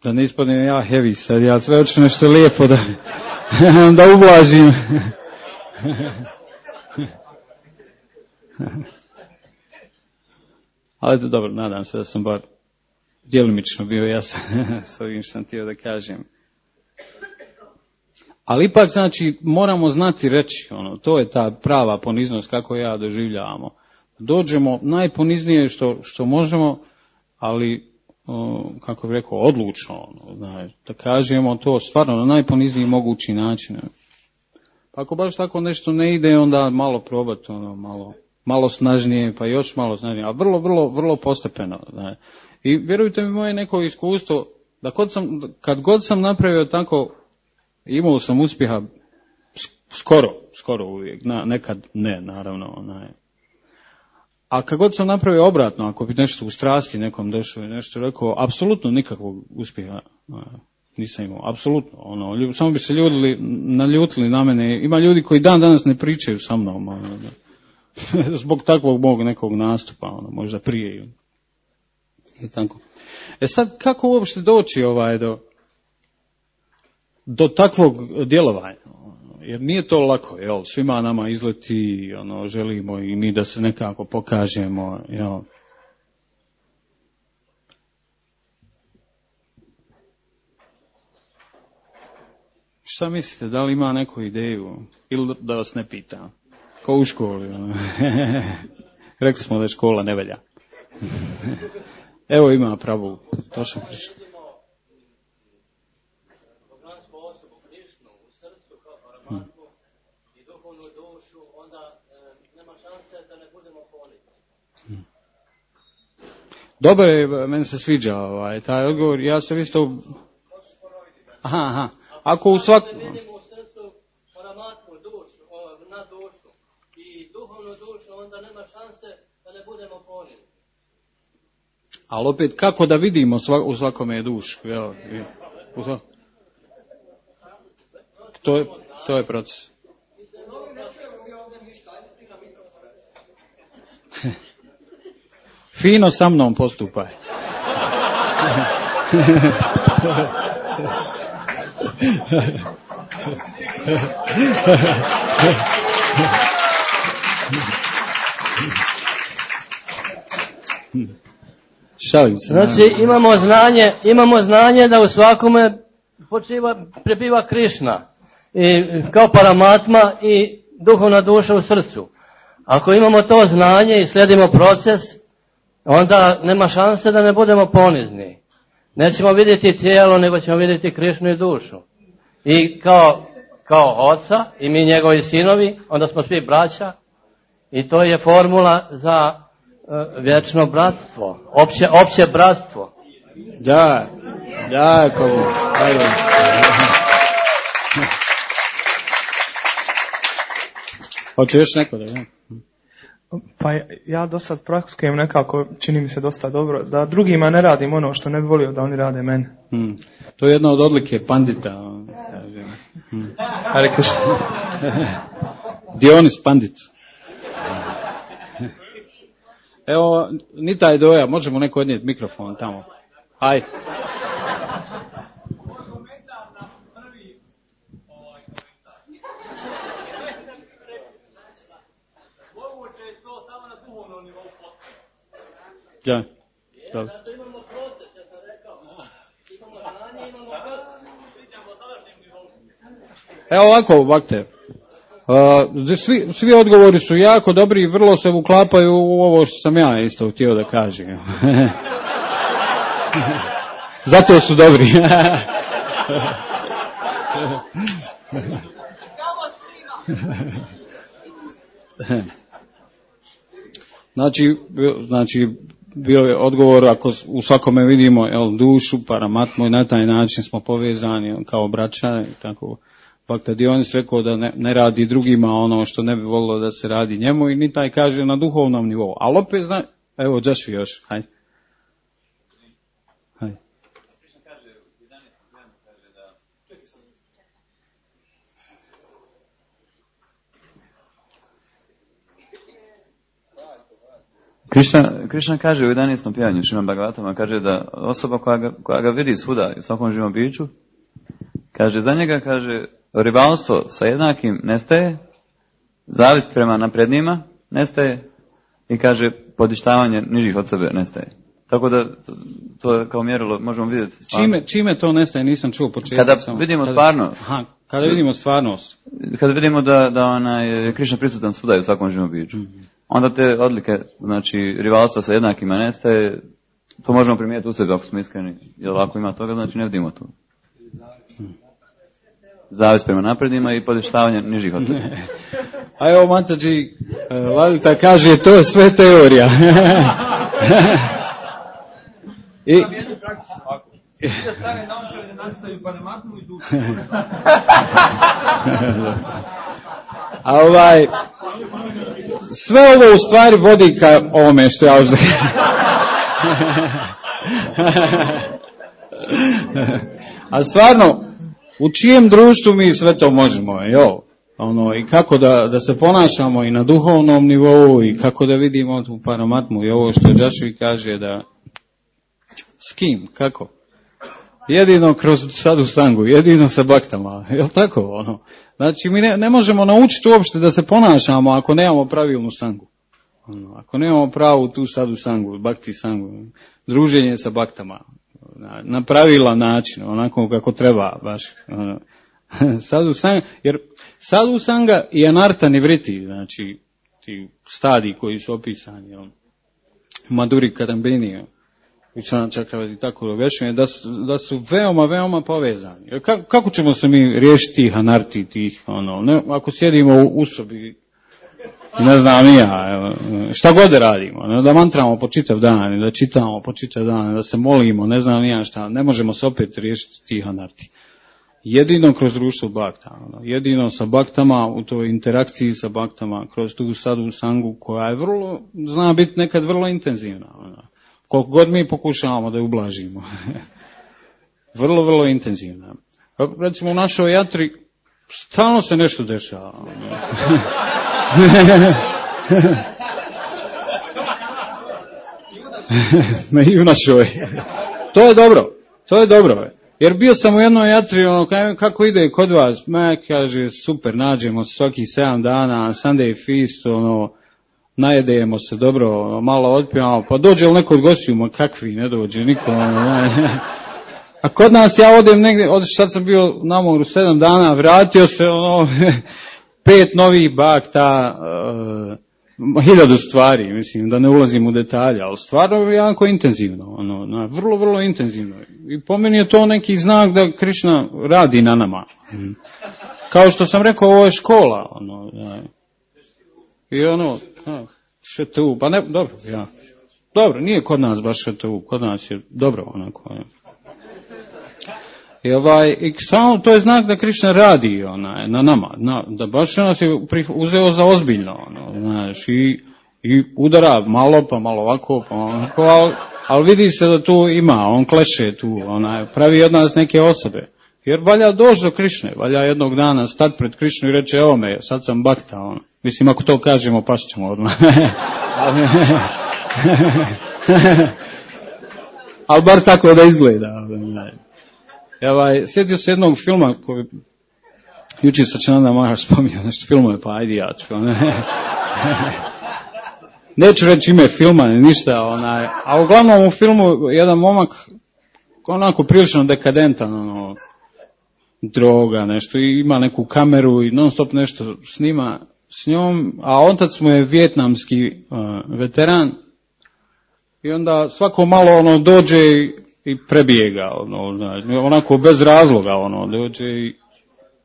da ne ispadnem ja heavy sad, ja sve hoću nešto lijepo da, da ublažim. Ali eto, dobro, nadam se da sam bar djelomično bio jasan s ovim što sam htio da kažem. Ali ipak, znači, moramo znati reći, ono, to je ta prava poniznost kako ja doživljavamo. Dođemo najponiznije što, što možemo, ali, o, kako bih rekao, odlučno, ono, znači, da kažemo to stvarno na najponizniji mogući način. Pa ako baš tako nešto ne ide, onda malo probati, ono, malo, malo snažnije, pa još malo snažnije, a vrlo, vrlo, vrlo postepeno. Znači. I vjerujte mi, moje neko iskustvo, da kad, sam, kad god sam napravio tako, imao sam uspjeha skoro, skoro uvijek, na, nekad ne, naravno. Onaj. A kad god sam napravio obratno, ako bi nešto u strasti nekom došao i nešto rekao, apsolutno nikakvog uspjeha nisam imao, apsolutno. Ono, samo bi se ljudili, naljutili na mene. Ima ljudi koji dan danas ne pričaju sa mnom, ono, zbog takvog mog nekog nastupa, ono, možda prije. I tako. E sad, kako uopšte doći ovaj do, do takvog djelovanja? Jer nije to lako, jel? Svima nama izleti, ono, želimo i mi da se nekako pokažemo, jel? Šta mislite, da li ima neku ideju? Ili da vas ne pitam? Ko u školi, ono? Rekli smo da škola ne valja. Evo ima pravu, to sam pričao. Hmm. Hmm. Dobro je, meni se sviđa ovaj, taj odgovor, ja sam isto... Aha, aha, ako u svak... Ali opet, kako da vidimo svak, u svakome dušu? Jel, u svak... to, je, to je proces. Fino sa mnom postupaj. Šalim se. Znači imamo znanje, imamo znanje da u svakome počiva, prebiva Krišna i kao Paramatma i duhovna duša u srcu. Ako imamo to znanje i slijedimo proces, onda nema šanse da ne budemo ponizni. Nećemo vidjeti tijelo, nego ćemo vidjeti Krišnu i dušu. I kao, kao oca i mi njegovi sinovi, onda smo svi braća i to je formula za uh, vječno bratstvo, opće, opće bratstvo. Da, jako. Ajde. Hoće još neko da je? Pa ja do sad praktikujem nekako, čini mi se dosta dobro, da drugima ne radim ono što ne bi volio da oni rade meni. Hmm. To je jedna od odlike pandita. Hmm. Dionis pandit. Evo, ni taj doja, možemo neko odnijeti mikrofon tamo. Ajde. Ja. Dobro. Zato imamo proces, ja sam rekao. Imamo znanje, imamo proces. Evo ovako, bakte. Uh, svi, svi odgovori su jako dobri i vrlo se uklapaju u ovo što sam ja isto htio da kažem. Zato su dobri. Znači, znači bio je odgovor ako u svakome vidimo jel, dušu, paramatmu i na taj način smo povezani kao braća i tako. Pa tad je on rekao da ne, ne radi drugima ono što ne bi volilo da se radi njemu i ni taj kaže na duhovnom nivou. Ali opet zna, evo Joshua još, hajde. Hajde. Krišna, Krišna kaže u jedanaestom pijanju Šriman Bhagavatama, kaže da osoba koja ga, koja ga vidi svuda u svakom živom biću, kaže za njega, kaže, rivalstvo sa jednakim nestaje, zavist prema naprednijima nestaje i kaže podištavanje nižih od sebe nestaje. Tako da to, to kao mjerilo možemo vidjeti. Čime, čime to nestaje, nisam čuo početak. Kada samo. vidimo kada, stvarno. Aha, kada vidimo stvarnost. Kada vidimo da, da ona je Krišna prisutan svuda u svakom živom biću. Mm-hmm. Onda te odlike, znači rivalstva sa jednakima nestaje, to možemo primijetiti u sebi ako smo iskreni. Jer ako ima toga, znači ne vidimo to. Zavist prema naprednima i podištavanje nižih od sebe. A evo Matađi, Lalita kaže, to je sve teorija. I... Da stane naučali da nastaju paramatmu i dušu. A ovaj, sve ovo u stvari vodi ka ovome što ja uzem. A stvarno, u čijem društvu mi sve to možemo, jo? Ono, i kako da, da se ponašamo i na duhovnom nivou i kako da vidimo tu paramatmu i ovo što Joshua kaže da s kim, kako? Jedino kroz sadu sangu, jedino sa baktama, je li tako ono? Znači mi ne, ne možemo naučiti uopšte da se ponašamo ako nemamo pravilnu sangu. Ono, ako nemamo pravu tu sadu sangu, bakti sangu, druženje sa baktama, na, na pravilan način, onako kako treba baš. Ono. Sadu sanga, jer sadu sanga i anarta nivriti, znači ti stadiji koji su opisani, on, Madhuri Kadambini, Vičana Čakravati i tako objašnjuje, da su, da su veoma, veoma povezani. Kako, kako ćemo se mi riješiti tih anarti, tih, ono, ne, ako sjedimo u, u sobi, ne znam ni ja, šta god da radimo, ne, da mantramo po čitav dan, da čitamo po čitav dan, da se molimo, ne znam ni ja šta, ne možemo se opet riješiti tih anarti. Jedino kroz društvo bakta, ono, jedino sa baktama, u toj interakciji sa baktama, kroz tu sadu sangu koja je vrlo, zna biti nekad vrlo intenzivna, ono. Koliko god mi pokušavamo da je ublažimo. Vrlo, vrlo intenzivna. Recimo u našoj jatri stalno se nešto dešava. Ne, i u našoj. To je dobro. To je dobro. Jer bio sam u jednoj jatri, ono, kako ide kod vas? Ma, kaže, super, nađemo svaki sedam dana, Sunday feast, ono, najedemo se dobro, malo otpijamo, pa dođe li neko od gostiju, ma kakvi, ne dođe niko. A kod nas ja odem negdje, od sad sam bio na moru sedam dana, vratio se, ono, pet novih bakta, uh, hiljadu stvari, mislim, da ne ulazim u detalje, ali stvarno je jako intenzivno, ono, na, vrlo, vrlo intenzivno. I po meni je to neki znak da Krišna radi na nama. Kao što sam rekao, ovo je škola, ono, da. I ono, š t u, pa ne, dobro, ja. Dobro, nije kod nas baš š t u, kod nas je dobro onako. Ja. I ovaj, i samo to je znak da Krišna radi ona, na nama, na, da baš nas je uzeo za ozbiljno, ono, znaš, i, i udara malo, pa malo ovako, pa onako, ali, ali vidi se da tu ima, on kleše tu, ona, pravi od nas neke osobe. Jer valja doći do Krišne, valja jednog dana stati pred Krišnu i reći, evo me, sad sam bakta, ono. Mislim, ako to kažemo, pašćemo odmah. Ali bar tako da izgleda. Ovaj, sjetio se jednog filma koji jučer sa Čananda Maharaj spominjao nešto filmove, pa ajde ja ću. neću reći ime filma, ništa, onaj, a uglavnom u filmu jedan momak onako prilično dekadentan, ono, droga, nešto, i ima neku kameru i non stop nešto snima s njom, a otac mu je vijetnamski uh, veteran i onda svako malo ono dođe i, i prebije ga, ono, znači, onako bez razloga, ono, dođe i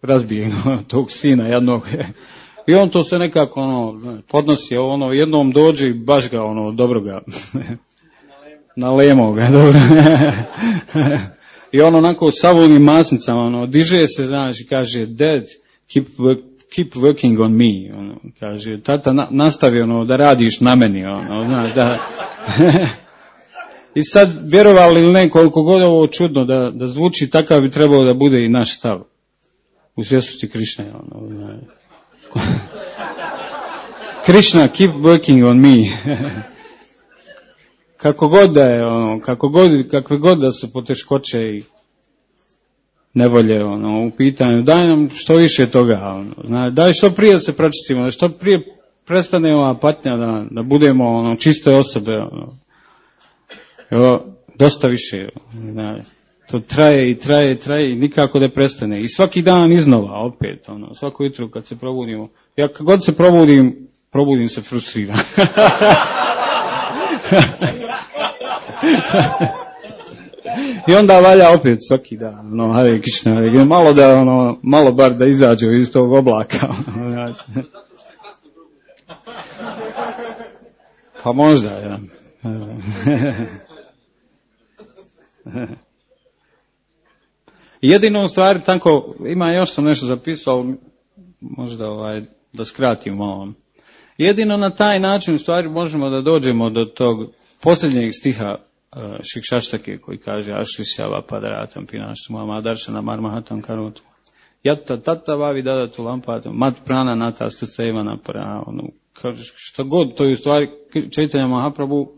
razbije tog sina jednog. I on to se nekako ono podnosi, ono jednom dođe i baš ga ono dobro ga nalemo ga, dobro. I on onako sa onim masnicama ono diže se, znači kaže dad keep work, keep working on me, ono kaže tata na, nastavi ono da radiš na meni, ono znači da. I sad vjerovali ili ne, koliko god ovo čudno da da zvuči, takav bi trebao da bude i naš stav u svjesnosti Krišne, ono znači. Krishna, keep working on me. Kako god da je, ono, kako god, kakve god da su poteškoće i nevolje, ono, u pitanju, daj nam što više toga, ono, zna, daj što prije se pročistimo, da što prije prestane ova patnja, da, da budemo, ono, čiste osobe, ono. Evo, dosta više, zna, to traje i traje i traje i nikako da prestane. I svaki dan iznova, opet, ono, svako jutro kad se probudimo. Ja kad god se probudim, probudim se frustriran. I onda valja opet svaki dan, ono, Hare Krishna, malo da, ono, malo bar da izađe iz tog oblaka. Ono, pa možda, ja. Jedino u stvari tako, ima još sam nešto zapisao, možda ovaj, da skratim malo. Jedino na taj način u stvari možemo da dođemo do tog posljednjeg stiha uh, Šikšaštake koji kaže Ašlišava padaratam pinaštu mama daršana marmahatam karotu. Jatta tata vavi dadatu lampatom mat prana nata stucevana para. Ono, kaže, što god, to je u stvari Čaitanja Mahaprabhu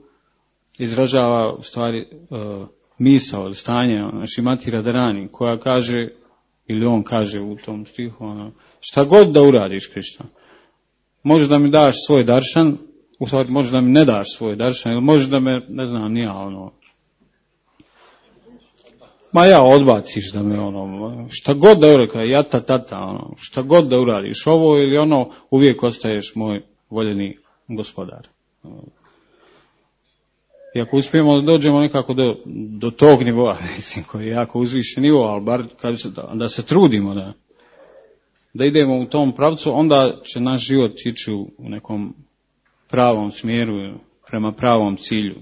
izražava u stvari uh, misao, stanje, ono, Šrimati Radharani, koja kaže, ili on kaže u tom stihu, ono, šta god da uradiš, Krišna, možeš da mi daš svoj daršan, u stvari možeš da mi ne daš svoj daršan, ili možeš da me, ne znam, nija, ono, ma ja odbaciš da me, ono, šta god da uradiš, jata tata, ono, šta god da uradiš, ovo ili ono, uvijek ostaješ moj voljeni gospodar. I ako uspijemo da dođemo nekako do, do tog nivoa, mislim, koji je jako uzvišen nivo, ali bar kad se, da, da se trudimo da, da idemo u tom pravcu, onda će naš život ići u nekom pravom smjeru, prema pravom cilju.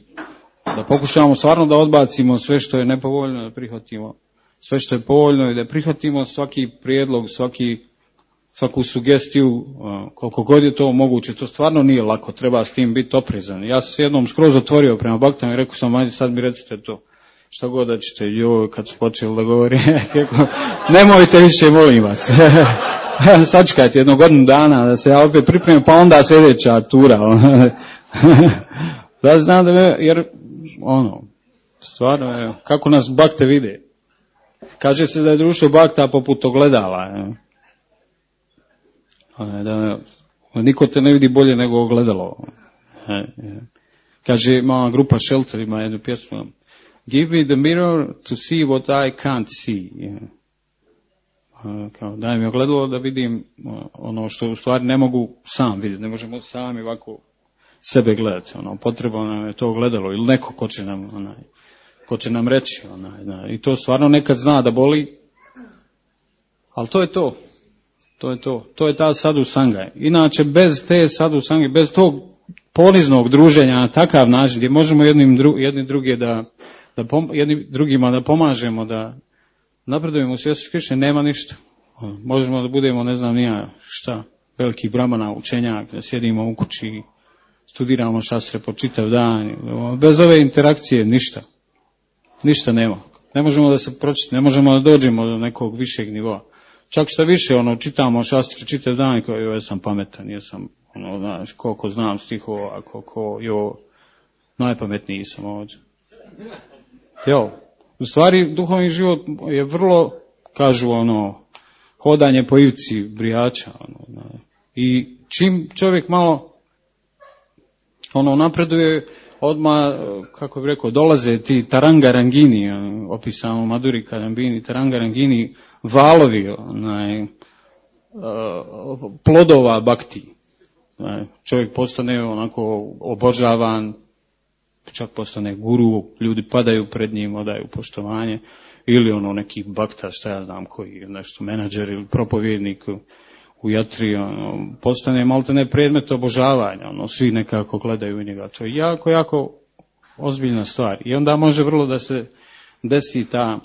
Da pokušamo stvarno da odbacimo sve što je nepovoljno, da prihvatimo sve što je povoljno i da prihvatimo svaki prijedlog, svaki, svaku sugestiju, koliko god je to moguće. To stvarno nije lako, treba s tim biti oprezan. Ja sam se jednom skroz otvorio prema baktama i rekao sam, ajde sad mi recite to. Šta god da ćete, joj, kad su počeli da govori, nemojte više, molim vas. Sačekajte jednu godinu dana da se ja opet pripremim, pa onda sljedeća tura. Da znam da me, jer, ono, stvarno, kako nas bakte vide. Kaže se da je društvo bakta poput ogledala. Je. Da, niko te ne vidi bolje nego ogledalo. Kaže, ima grupa Shelter, ima jednu pjesmu. Give me the mirror to see what I can't see. Kao, daj mi ogledalo da vidim ono što u stvari ne mogu sam vidjeti. Ne možemo sami ovako sebe gledati. Ono, potrebno nam je to ogledalo ili neko ko će nam, onaj, ko će nam reći. Onaj, i to stvarno nekad zna da boli. Ali to je to. To je to. To je ta sadhu sanga. Inače, bez te sadhu sange, bez tog poniznog druženja na takav način, gdje možemo jednim dru, jedni druge da, da pom, jedni drugima da pomažemo, da napredujemo u svijesti Krišne, nema ništa. Možemo da budemo, ne znam nija šta, veliki brahmana, učenjak, da sjedimo u kući, studiramo šastre po čitav dan. Bez ove interakcije ništa. Ništa nema. Ne možemo da se pročitamo, ne možemo da dođemo do nekog višeg nivoa. Čak što više, ono, čitamo šastre čitav dan i kao, joj, ja sam pametan, jesam, ono, znaš, koliko znam stihova, koliko, jo, najpametniji sam ovdje. Jo, u stvari, duhovni život je vrlo, kažu, ono, hodanje po ivci brijača, ono, znaš. I čim čovjek malo ono napreduje, odmah, kako bih rekao, dolaze ti tarangarangini, opisano Madhuri Kadambini, tarangarangini, valovi, onaj, plodova bakti. Čovjek postane onako obožavan, čak postane guru, ljudi padaju pred njim, odaju poštovanje, ili ono neki bakta, šta ja znam, koji je nešto menadžer ili propovjednik u jatri, ono, postane maltene predmet obožavanja, ono, svi nekako gledaju u njega. To je jako, jako ozbiljna stvar. I onda može vrlo da se desi ta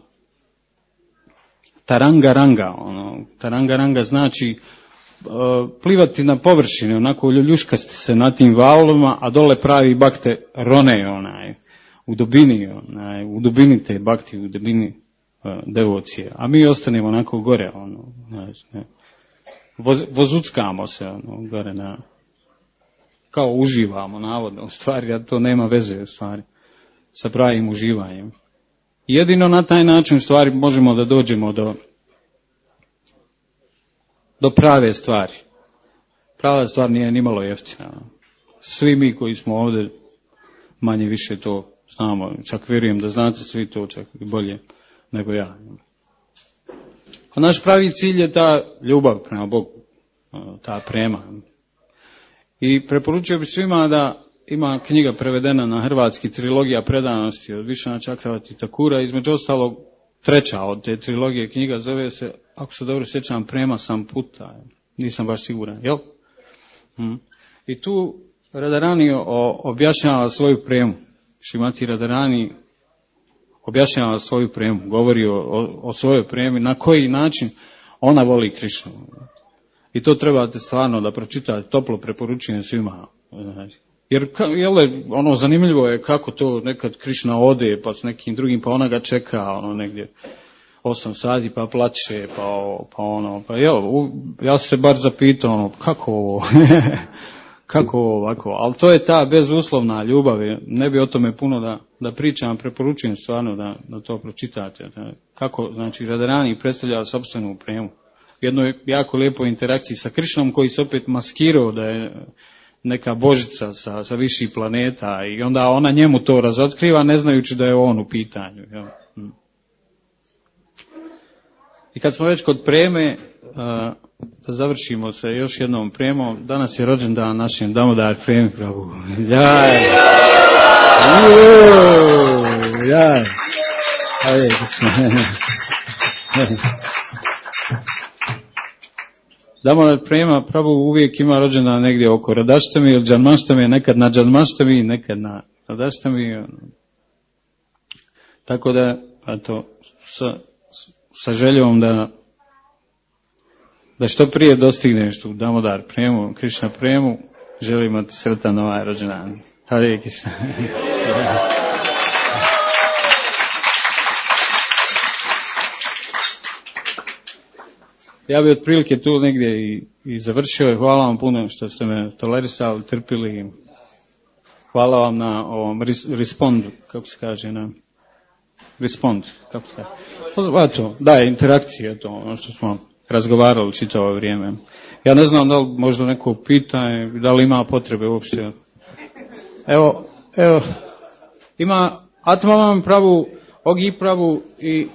tarangaranga, ono, tarangaranga znači uh, plivati na površini, onako ljuškasti se na tim valovima, a dole pravi bakte rone, onaj, u dubini, onaj, u dubini te bakti, u dubini uh, devocije. A mi ostanemo onako gore, ono, znači, ne. Voz, vozuckamo se, ono, gore na, kao uživamo, navodno, u stvari, a to nema veze, u stvari, sa pravim uživanjem. Jedino na taj način, u stvari, možemo da dođemo do, do prave stvari. Prava stvar nije nimalo jeftina. Svi mi koji smo ovdje, manje više to znamo, čak vjerujem da znate svi to, čak i bolje nego ja. A naš pravi cilj je ta ljubav prema Bogu, ta prema. I preporučio bih svima da ima knjiga prevedena na hrvatski, trilogija predanosti od Višana Čakravati Takura, između ostalog treća od te trilogije knjiga zove se, ako se dobro sjećam, Prema sam puta, nisam baš siguran, jel? Hmm. I tu Radharani objašnjava svoju premu, Šrimati Radharani objašnjava svoju premu, govori o, o, o svojoj premi, na koji način ona voli Krišnu. I to trebate stvarno da pročitate, toplo preporučujem svima. Jer jel, ono zanimljivo je kako to nekad Krišna ode, pa s nekim drugim, pa ona ga čeka ono negdje osam sati, pa plače, pa, pa ono, pa jel, ja sam se bar zapitao, ono, kako ovo, kako ovo ovako, ali to je ta bezuslovna ljubav, ne bi o tome puno da, da pričam, preporučujem stvarno da, da to pročitate, da, kako, znači, Radharani predstavlja sopstvenu premu. Jedno je jako lijepo interakciji sa Krišnom koji se opet maskirao da je neka božica sa, sa viših planeta i onda ona njemu to razotkriva ne znajući da je on u pitanju. Jel? I kad smo već kod preme, da završimo se još jednom premom, danas je rođendan našem Damodar Premi Prabhu. Jaj! Jaj! Ajde, Damodar Prema Prabhu uvijek ima rođendan negdje oko Radaštami ili Džanmaštami, nekad na Džanmaštami, nekad na Radaštami. Tako da, eto, sa, sa željom da da što prije dostigneš tu Damodar Premu, Krišna Premu, želimo ti sretan ovaj rođendan. Hare Krishna. Ja bih otprilike tu negdje i, i završio. Hvala vam puno što ste me tolerisali, trpili. Hvala vam na ovom respondu, kako se kaže, na respond, kako se kaže. Eto, da, interakcija, to ono što smo razgovarali čitavo vrijeme. Ja ne znam da li možda neko pita, da li ima potrebe uopšte. Evo, evo, ima Atmavam Prabhu, Ogi Prabhu i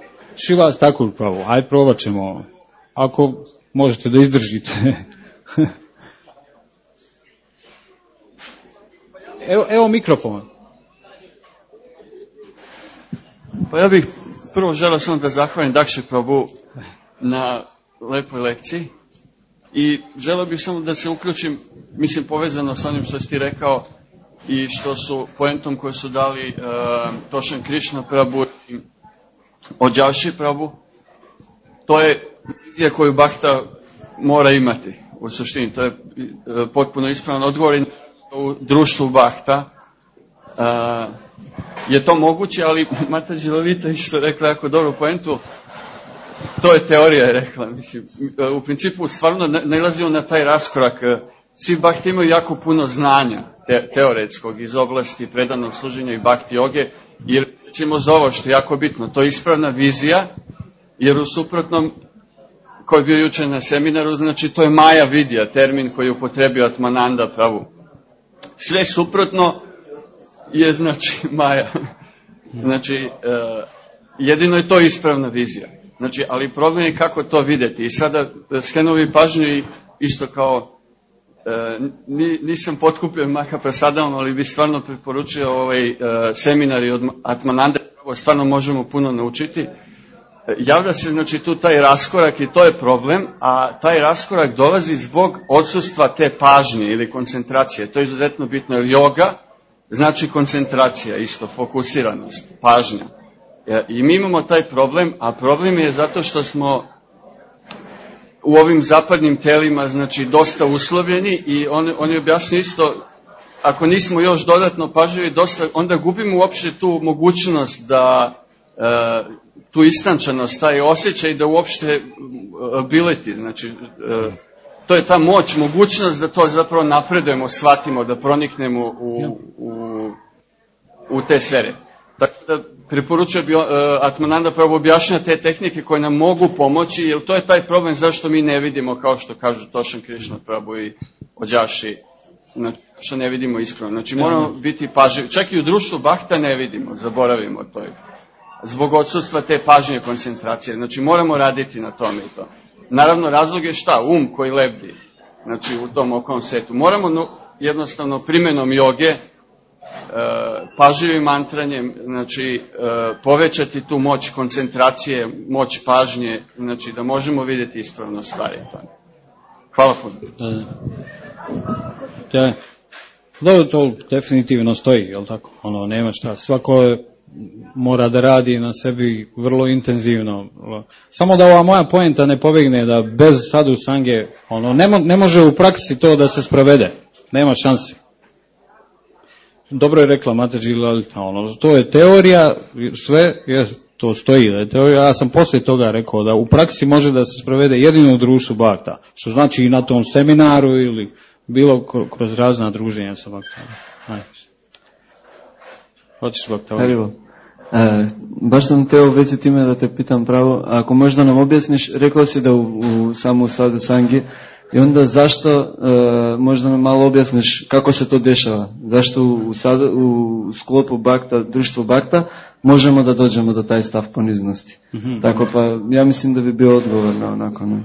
Šivas Thakur Prabhu. Ajde, probat ćemo. Ako možete da izdržite. evo, evo mikrofon. Pa ja bih prvo želeo samo da zahvalim Dakši Prabhu na lepoj lekciji i želeo bih samo da se uključim, mislim povezano sa onim što si ti rekao i što su poentom koju su dali uh, Tošan Krišna Prabhu i Ođaši Prabhu. To je vizija koju Bhakta mora imati u suštini. To je uh, potpuno ispravan odgovor u društvu Bhakta. Uh, je to moguće, ali Mataji Lalita isto rekla jako dobru poentu. To je teorija, je rekla. Mislim, u principu stvarno nailazimo na taj raskorak. Svi Bhakti imaju jako puno znanja te, teoretskog iz oblasti predanog služenja i Bhakti joge, jer recimo za ovo što je jako bitno, to je ispravna vizija, jer u suprotnom, koji je bio jučer na seminaru, znači to je Maja Vidija, termin koji je upotrebio Atmananda Prabhu. Sve suprotno je, znači, maja. Znači, e, jedino je to ispravna vizija. Znači, ali problem je kako to vidjeti. I sada skrenuo pažnju i isto kao e, nisam potkupljen Mahaprasadavom, ali bi stvarno preporučio ovaj e, seminari od Atmanande, stvarno možemo puno naučiti. Javlja se, znači, tu taj raskorak i to je problem, a taj raskorak dolazi zbog odsustva te pažnje ili koncentracije. To je izuzetno bitno, jer yoga znači koncentracija, isto, fokusiranost, pažnja. I mi imamo taj problem, a problem je zato što smo u ovim zapadnim telima, znači, dosta uslovljeni i on, on je objasnio isto, ako nismo još dodatno pažljivi, dosta, onda gubimo uopšte tu mogućnost da e, tu istančanost, taj osjećaj da uopšte ability, znači, e, to je ta moć, mogućnost da to zapravo napredujemo, shvatimo, da proniknemo u, u, u te sfere. Tako da preporučuje bi, uh, Atmananda pravo objašnja te tehnike koje nam mogu pomoći, jer to je taj problem zašto mi ne vidimo, kao što kažu Tošan Krišna Prabhu i Ođaši, znači, što ne vidimo iskreno. Znači moramo biti pažljivi. Čak i u društvu Bhakta ne vidimo, zaboravimo to. Zbog odsustva te pažnje i koncentracije. Znači moramo raditi na tome i to. Naravno, razlog je šta? Um koji lebdi, znači, u tom okolnom svetu. Moramo no, jednostavno primjenom joge, e, pažljivim mantranjem, znači, e, povećati tu moć koncentracije, moć pažnje, znači, da možemo vidjeti ispravno stvari. Hvala puno. Da, da. Dobro, to definitivno stoji, jel tako? Ono, nema šta. Svako mora da radi na sebi vrlo intenzivno. Samo da ova moja poenta ne pobegne, da bez sadhu sange, ono, ne, mo, ne može u praksi to da se sprovede. Nema šanse. Dobro je rekla Mataji Lalita, ono, to je teorija, sve je, to stoji da je teorija. Ja sam poslije toga rekao da u praksi može da se sprovede jedino u društvu Bhakta, što znači i na tom seminaru ili bilo kroz razna druženja sa Bhakta. Hoćeš Bhakta? Haribo. E, baš sam teo u vezi time da te pitam pravo, ako možda nam objasniš, rekao si da u, u samo sadhu sangi, i onda zašto, e, možda nam malo objasniš kako se to dešava, zašto u, sada, u sklopu Bhakta, društvo Bhakta, možemo da dođemo do taj stav poniznosti. Mm-hmm. Tako pa, ja mislim da bi bio odgovor na onako na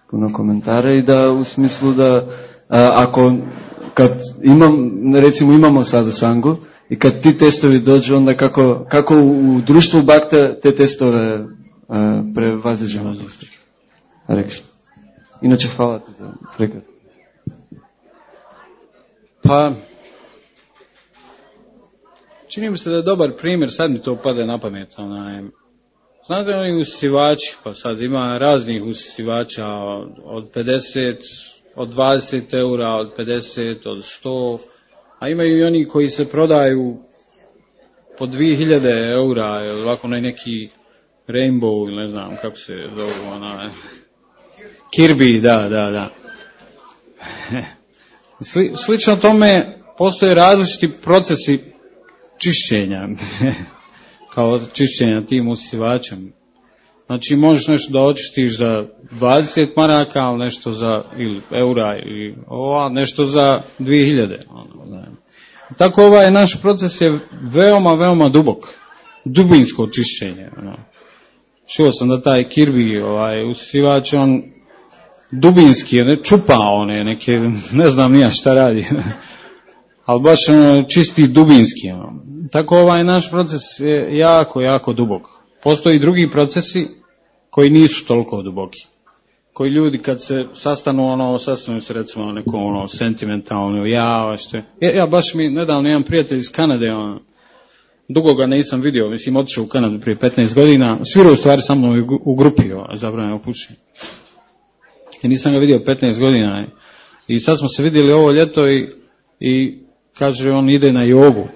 puno komentara i da u smislu da a, ako, kad imam, recimo imamo sadhu sangu, i kad ti testovi dođu, onda kako, kako u društvu Bhakta te testove uh, prevaziđemo. Rekli. Inače, hvala ti za prekrad. Pa, čini mi se da je dobar primjer, sad mi to pade na pamet. Onaj, znate oni usisivači, pa sad ima raznih usisivača od pedeset, od dvadeset eura, od pedeset, od sto. A imaju i oni koji se prodaju po dvije hiljade eura, ili ovako neki Rainbow, ili ne znam kako se zove, ona, Kirby, da, da, da. Sli, slično tome postoje različiti procesi čišćenja, kao čišćenja tim usisivačem. Znači možeš nešto da očistiš za dvadeset maraka, ali nešto za ili eura ili ova, nešto za dvije hiljade. Tako ovaj naš proces je veoma, veoma dubok. Dubinsko čišćenje. Ono. Čuo sam da taj Kirby, ovaj, usisivač, on dubinski, ne čupa one neke, ne znam nija šta radi. Ali baš ono, čisti dubinski. Ono. Tako ovaj naš proces je jako, jako dubok. Postoji i drugi procesi koji nisu toliko duboki. Koji ljudi kad se sastanu, ono, sastanu se recimo neko ono sentimentalno, ja, što je. Ja, ja baš mi nedavno jedan prijatelj iz Kanade, on, dugo ga nisam vidio, mislim otišao u Kanadu prije petnaest godina, svirao u stvari sa mnom u, u grupi, zabranjeno pušenje. I nisam ga vidio petnaest godina. I sad smo se vidjeli ovo ljeto i, i kaže on ide na jogu.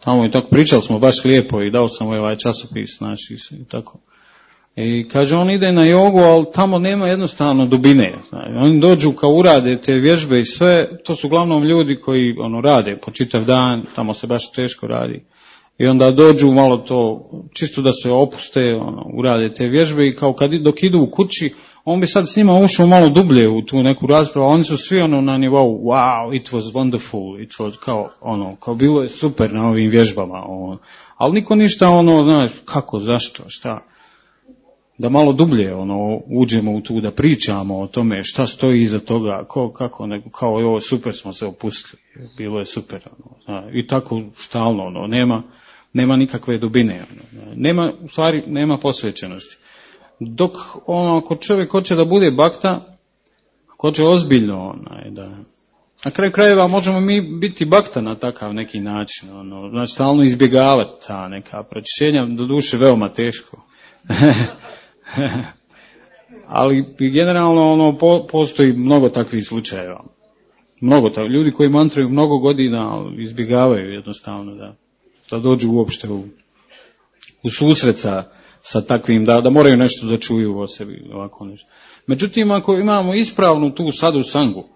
Tamo i tako pričali smo baš lijepo i dao sam mu ovaj časopis, znači i tako. I kaže on ide na jogu, ali tamo nema jednostavno dubine. Znači, oni dođu kao urade te vježbe i sve, to su uglavnom ljudi koji ono rade po čitav dan, tamo se baš teško radi. I onda dođu malo to, čisto da se opuste, ono, urade te vježbe i kao kad dok idu u kući, on bi sad s njima ušao malo dublje u tu neku raspravu, a oni su svi ono na nivou, wow, it was wonderful, it was kao, ono, kao bilo je super na ovim vježbama, ono. Ali niko ništa, ono, znaš, kako, zašto, šta, da malo dublje, ono, uđemo u tu, da pričamo o tome šta stoji iza toga, ko, kako, nego, kao, ovo, super smo se opustili, bilo je super, ono, zna, i tako stalno, ono, nema, nema nikakve dubine, ono, nema, u stvari, nema posvećenosti. Dok, ono, ako čovjek hoće da bude bakta, ako hoće ozbiljno, onaj, da, na kraju krajeva možemo mi biti bakta na takav neki način, ono, znači stalno izbjegavati ta neka pročišćenja, do duše veoma teško. Ali generalno ono, po, postoji mnogo takvih slučajeva. Mnogo ta, ljudi koji mantraju mnogo godina izbjegavaju jednostavno da, da dođu uopšte u, u susret sa, sa takvim, da, da moraju nešto da čuju o sebi, ovako nešto. Međutim, ako imamo ispravnu tu sadhu sangu,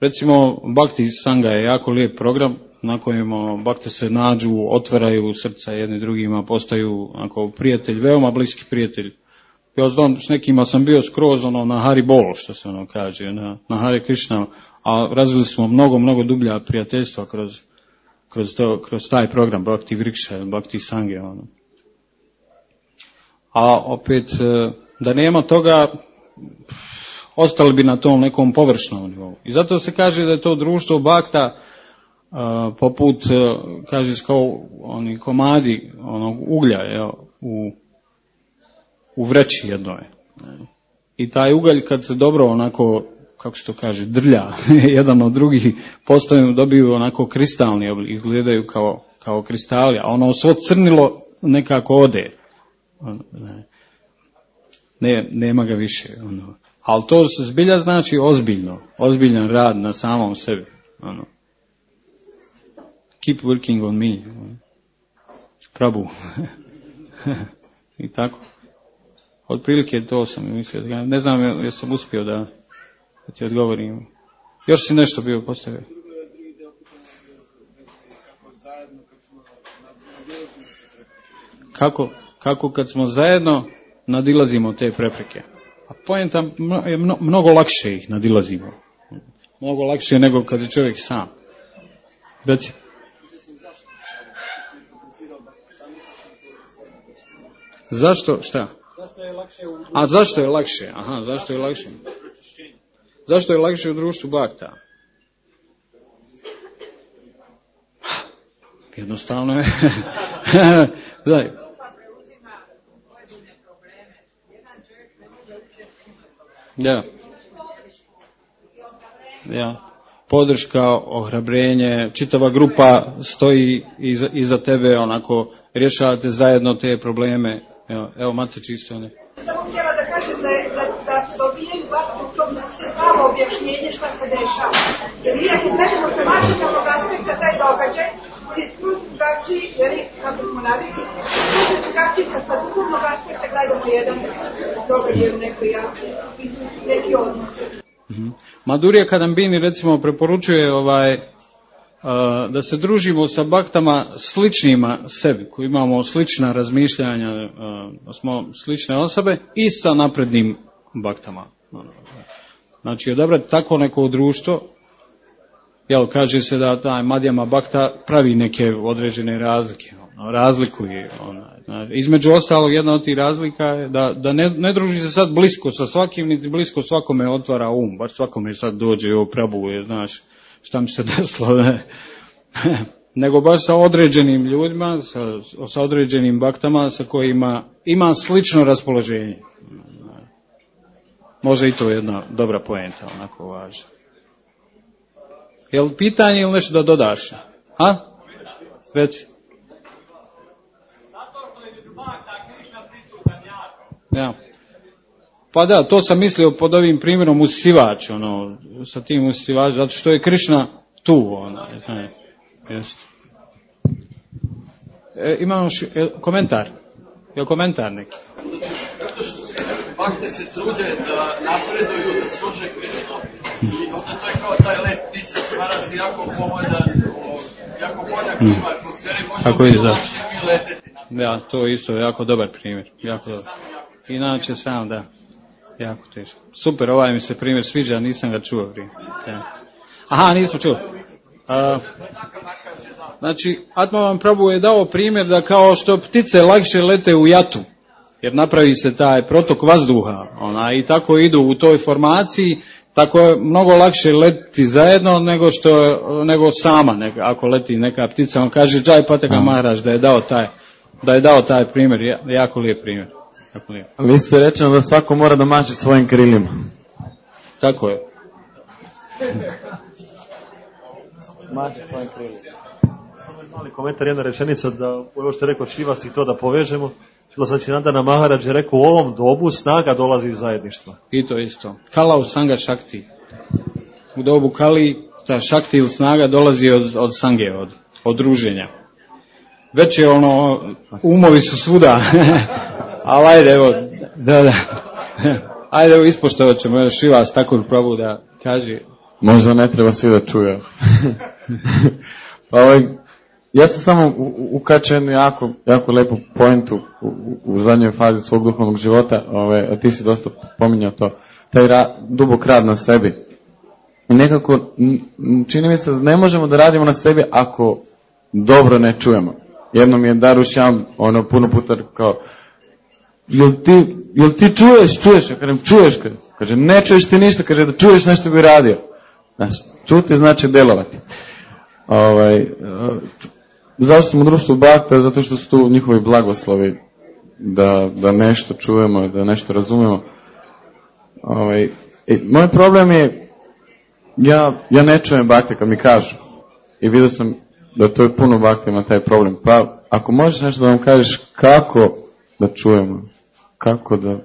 recimo Bhakti Sanga je jako lijep program na kojem bakte se nađu, otvaraju srca jedni drugima, postaju ako prijatelj, veoma bliski prijatelj. Ja znam, s nekima sam bio skroz ono, na Hari Bol, što se ono kaže, na, na Hare Krishna, a razvili smo mnogo, mnogo dublja prijateljstva kroz, kroz, to, kroz taj program Bhakti Vriksha, Bhakti Sange. Ono. A opet, da nema toga, ostali bi na tom nekom površnom nivou. I zato se kaže da je to društvo bakta uh, poput, uh, kaže kao oni komadi onog uglja je, u, u vreći jednoj. I taj ugalj kad se dobro onako, kako se to kaže, drlja jedan od drugih, postaju, dobiju onako kristalni oblik, izgledaju kao, kao kristali, a ono svo crnilo nekako ode. Ne, nema ga više, ono. Ali to zbilja znači ozbiljno, ozbiljan rad na samom sebi. Ono. Keep working on me. Prabhu. I tako. Otprilike to sam mislio. Ne znam jel sam uspio da, da ti odgovorim. Još si nešto bio postavio. Kako, kako kad smo zajedno nadilazimo te prepreke. A poenta je mnogo lakše ih nadilazimo. Mnogo lakše nego kad je čovjek sam. Reci. Zašto? Šta? A zašto je lakše? Aha, zašto je lakše? Zašto je lakše u društvu bakta? Jednostavno je. Daj. Ja. Ja. Podrška, ohrabrenje, čitava grupa stoji iza, iza tebe, onako rješavate zajedno te probleme. Evo, evo mate čisto ne. Samo htjela da kažem da, da, da dobijem u tom pravo objašnjenje šta se dešava. Jer mi ako gledamo sa materijalnog aspekta taj događaj, je skroz drugačiji, jer kako smo navikli, skroz drugačiji kad sa duhovnog aspekta gledamo jedan događaj u nekoj javnosti, neki odnos. Mm-hmm. Madhurya Kadambini recimo preporučuje ovaj, uh, da se družimo sa baktama sličnima sebi, koji imamo slična razmišljanja, uh, da smo slične osobe i sa naprednim baktama. Znači, odabrati tako neko društvo, jel, kaže se da taj Madhyama bakta pravi neke određene razlike, ono, razlikuje. Ono, znači, između ostalog, jedna od tih razlika je da, da ne, ne druži se sad blisko sa svakim, niti blisko svakome otvara um, baš svakome sad dođe i oprabuje, znaš, šta mi se desilo, ne? Nego baš sa određenim ljudima, sa, sa određenim baktama sa kojima ima slično raspoloženje. Može i to jedna dobra poenta, onako važna. Jel pitanje ili nešto da dodaš? A? Reci. Ja. Pa da, to sam mislio pod ovim primjerom usivač, ono, sa tim usivač, zato što je Krišna tu, ono, ne, jest. E, imamo ši, e, komentar, je komentar neki? Zato što se bakte se trude da napreduju, da služe Krišnu, i onda to je kao taj let ptica se narazi jako povoljan, jako bolja klima atmosfere, možemo bilo lakše mi leteti. Ja, to isto je jako dobar primjer, jako dobar. Inače sam, da. Jako teško. Super, ovaj mi se primjer sviđa, nisam ga čuo prije. Ja. Aha, nismo čuo. A, znači, Atmavan Prabhu je dao primjer da kao što ptice lakše lete u jatu, jer napravi se taj protok vazduha, ona, i tako idu u toj formaciji, tako je mnogo lakše letiti zajedno nego što nego sama, neka, ako leti neka ptica. On kaže Džaj Pataka Maharaj da je dao taj, da je dao taj primjer, jako lijep primjer. Jako lijep. Vi ste rečeno da svako mora da maše svojim krilima. Tako je. Maše svojim krilima. Samo je mali komentar, jedna rečenica da ovo što je rekao Šivas i to da povežemo. Znači, Nandana Maharaj je rekao, u ovom dobu snaga dolazi iz zajedništva. I to isto. Kala u sanga šakti. U dobu kali ta šakti ili snaga dolazi od, od sange, od, od druženja. Već je ono, umovi su svuda. Ali ajde, evo, da, da. Ajde, evo, ispoštovat ćemo još i vas tako Prabhu da kaže. Možda ne treba svi da čuje. Pa ovaj, ja sam samo ukačen jako, jako lepu pointu u, u zadnjoj fazi svog duhovnog života, ove, a ti si dosta pominjao to, taj ra, dubok rad na sebi. I nekako, čini mi se da ne možemo da radimo na sebi ako dobro ne čujemo. Jednom je Darušjam, ono, puno puta kao, jel ti, jel ti čuješ, čuješ, ja kažem, čuješ, kaže, ne čuješ ti ništa, kaže, da čuješ nešto bi radio. Znači, čuti znači delovati. Ovaj, zašto smo u društvu Bhakta? Zato što su tu njihovi blagoslovi da, da nešto čujemo, da nešto razumemo. Ovaj, i moj problem je, ja, ja ne čujem Bhakta kad mi kažu. I vidio sam da to je puno Bhakta ima taj problem. Pa ako možeš nešto da vam kažeš kako da čujemo, kako da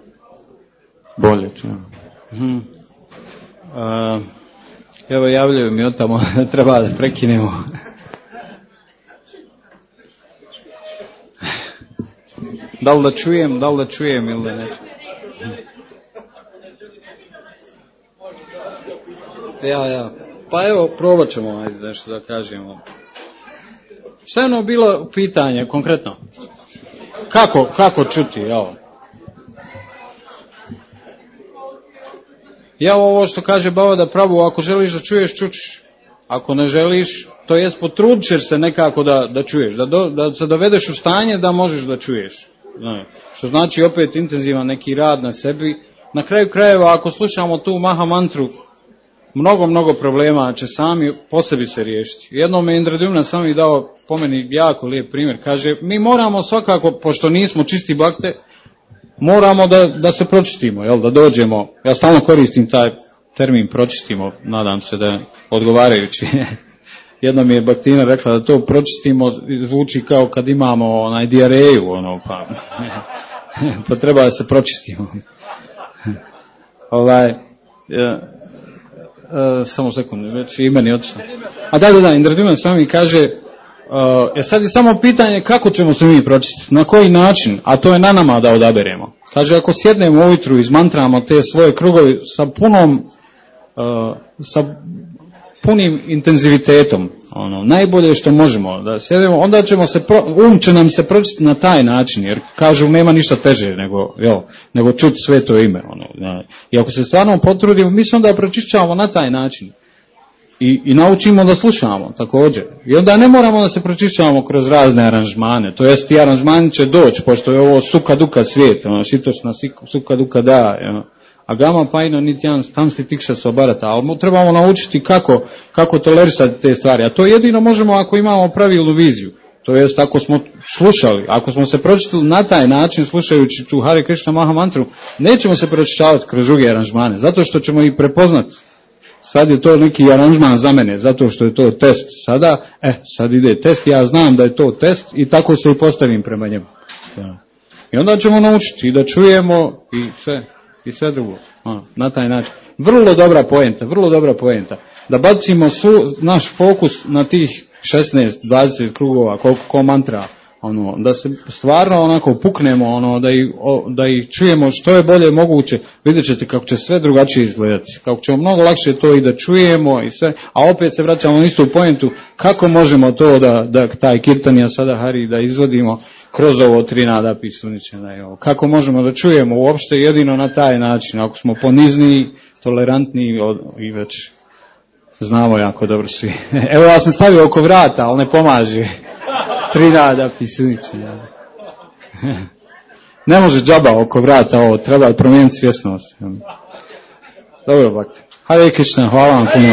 bolje čujemo. Hmm. Uh, evo javljaju mi od tamo, treba da prekinemo. Da li da čujem, da li da čujem ili da ne čujem. Ja, ja. Pa evo, probat ćemo ajde nešto da kažemo. Šta je ono bilo pitanje konkretno? Kako, kako čuti, evo. Ja ovo što kaže Bhavada Prabhu, ako želiš da čuješ, čučiš. Ako ne želiš, to jest potrudit ćeš se nekako da, da čuješ, da, do, da se dovedeš u stanje da možeš da čuješ. Ne. Što znači opet intenzivan neki rad na sebi. Na kraju krajeva, ako slušamo tu Maha mantru, mnogo, mnogo problema će sami po sebi se riješiti. Jednom je Indradumna sam mi dao po meni jako lijep primjer. Kaže, mi moramo svakako, pošto nismo čisti bakte, moramo da, da se pročistimo, jel, da dođemo. Ja stalno koristim taj termin pročistimo, nadam se da je odgovarajući. Jednom mi je Baktina rekla da to pročistimo zvuči kao kad imamo onaj dijareju, ono, pa, pa treba da se pročistimo. Ovaj, ja, Uh, samo sekundu, već i meni otišlo. A da, da, da, Indradumna Swami kaže, uh, je sad je samo pitanje kako ćemo se mi pročistiti, na koji način, a to je na nama da odaberemo. Kaže, ako sjednemo ujutru i izmantramo te svoje krugovi sa punom, uh, sa punim intenzivitetom, ono, najbolje što možemo da sjedemo, onda ćemo se, pro, um će nam se pročistiti na taj način, jer kažu nema ništa teže nego, jo, nego čuti sve to ime. Ono, ja. I ako se stvarno potrudimo, mi se onda pročišćavamo na taj način. I, i naučimo da slušamo također. I onda ne moramo da se pročišćavamo kroz razne aranžmane. To jest ti aranžmani će doći, pošto je ovo suka duka svijet, ono, šitošna suka duka da, ono. A gama pajno niti jedan stansti tikša se obarata, ali trebamo naučiti kako, kako tolerisati te stvari. A to jedino možemo ako imamo pravilnu viziju. To jest ako smo slušali, ako smo se pročitali na taj način slušajući tu Hare Krishna Maha mantru, nećemo se pročišćavati kroz druge aranžmane, zato što ćemo ih prepoznati. Sad je to neki aranžman za mene, zato što je to test sada, eh, sad ide test, ja znam da je to test i tako se i postavim prema njemu. Ja. I onda ćemo naučiti i da čujemo i sve. I sve drugo, ono, na taj način. Vrlo dobra poenta, vrlo dobra poenta. Da bacimo su, naš fokus na tih šesnaest dvadeset krugova, koliko ko mantra, ono, da se stvarno onako puknemo, ono, da, ih, o, da ih čujemo što je bolje moguće, vidjet ćete kako će sve drugačije izgledati, kako ćemo mnogo lakše to i da čujemo i sve, a opet se vraćamo na istu poentu, kako možemo to da, da taj kirtanija sada Hari da izvodimo, kroz ovo tri nada pisuničena. Kako možemo da čujemo uopšte jedino na taj način, ako smo ponizniji, tolerantniji i već znamo jako dobro svi. Evo ja sam stavio oko vrata, ali ne pomaže. Tri nada pisuničena. Ne može džaba oko vrata ovo, treba promijeniti svjesnost. Dobro, Bhakti. Hare Krishna, hvala vam puno.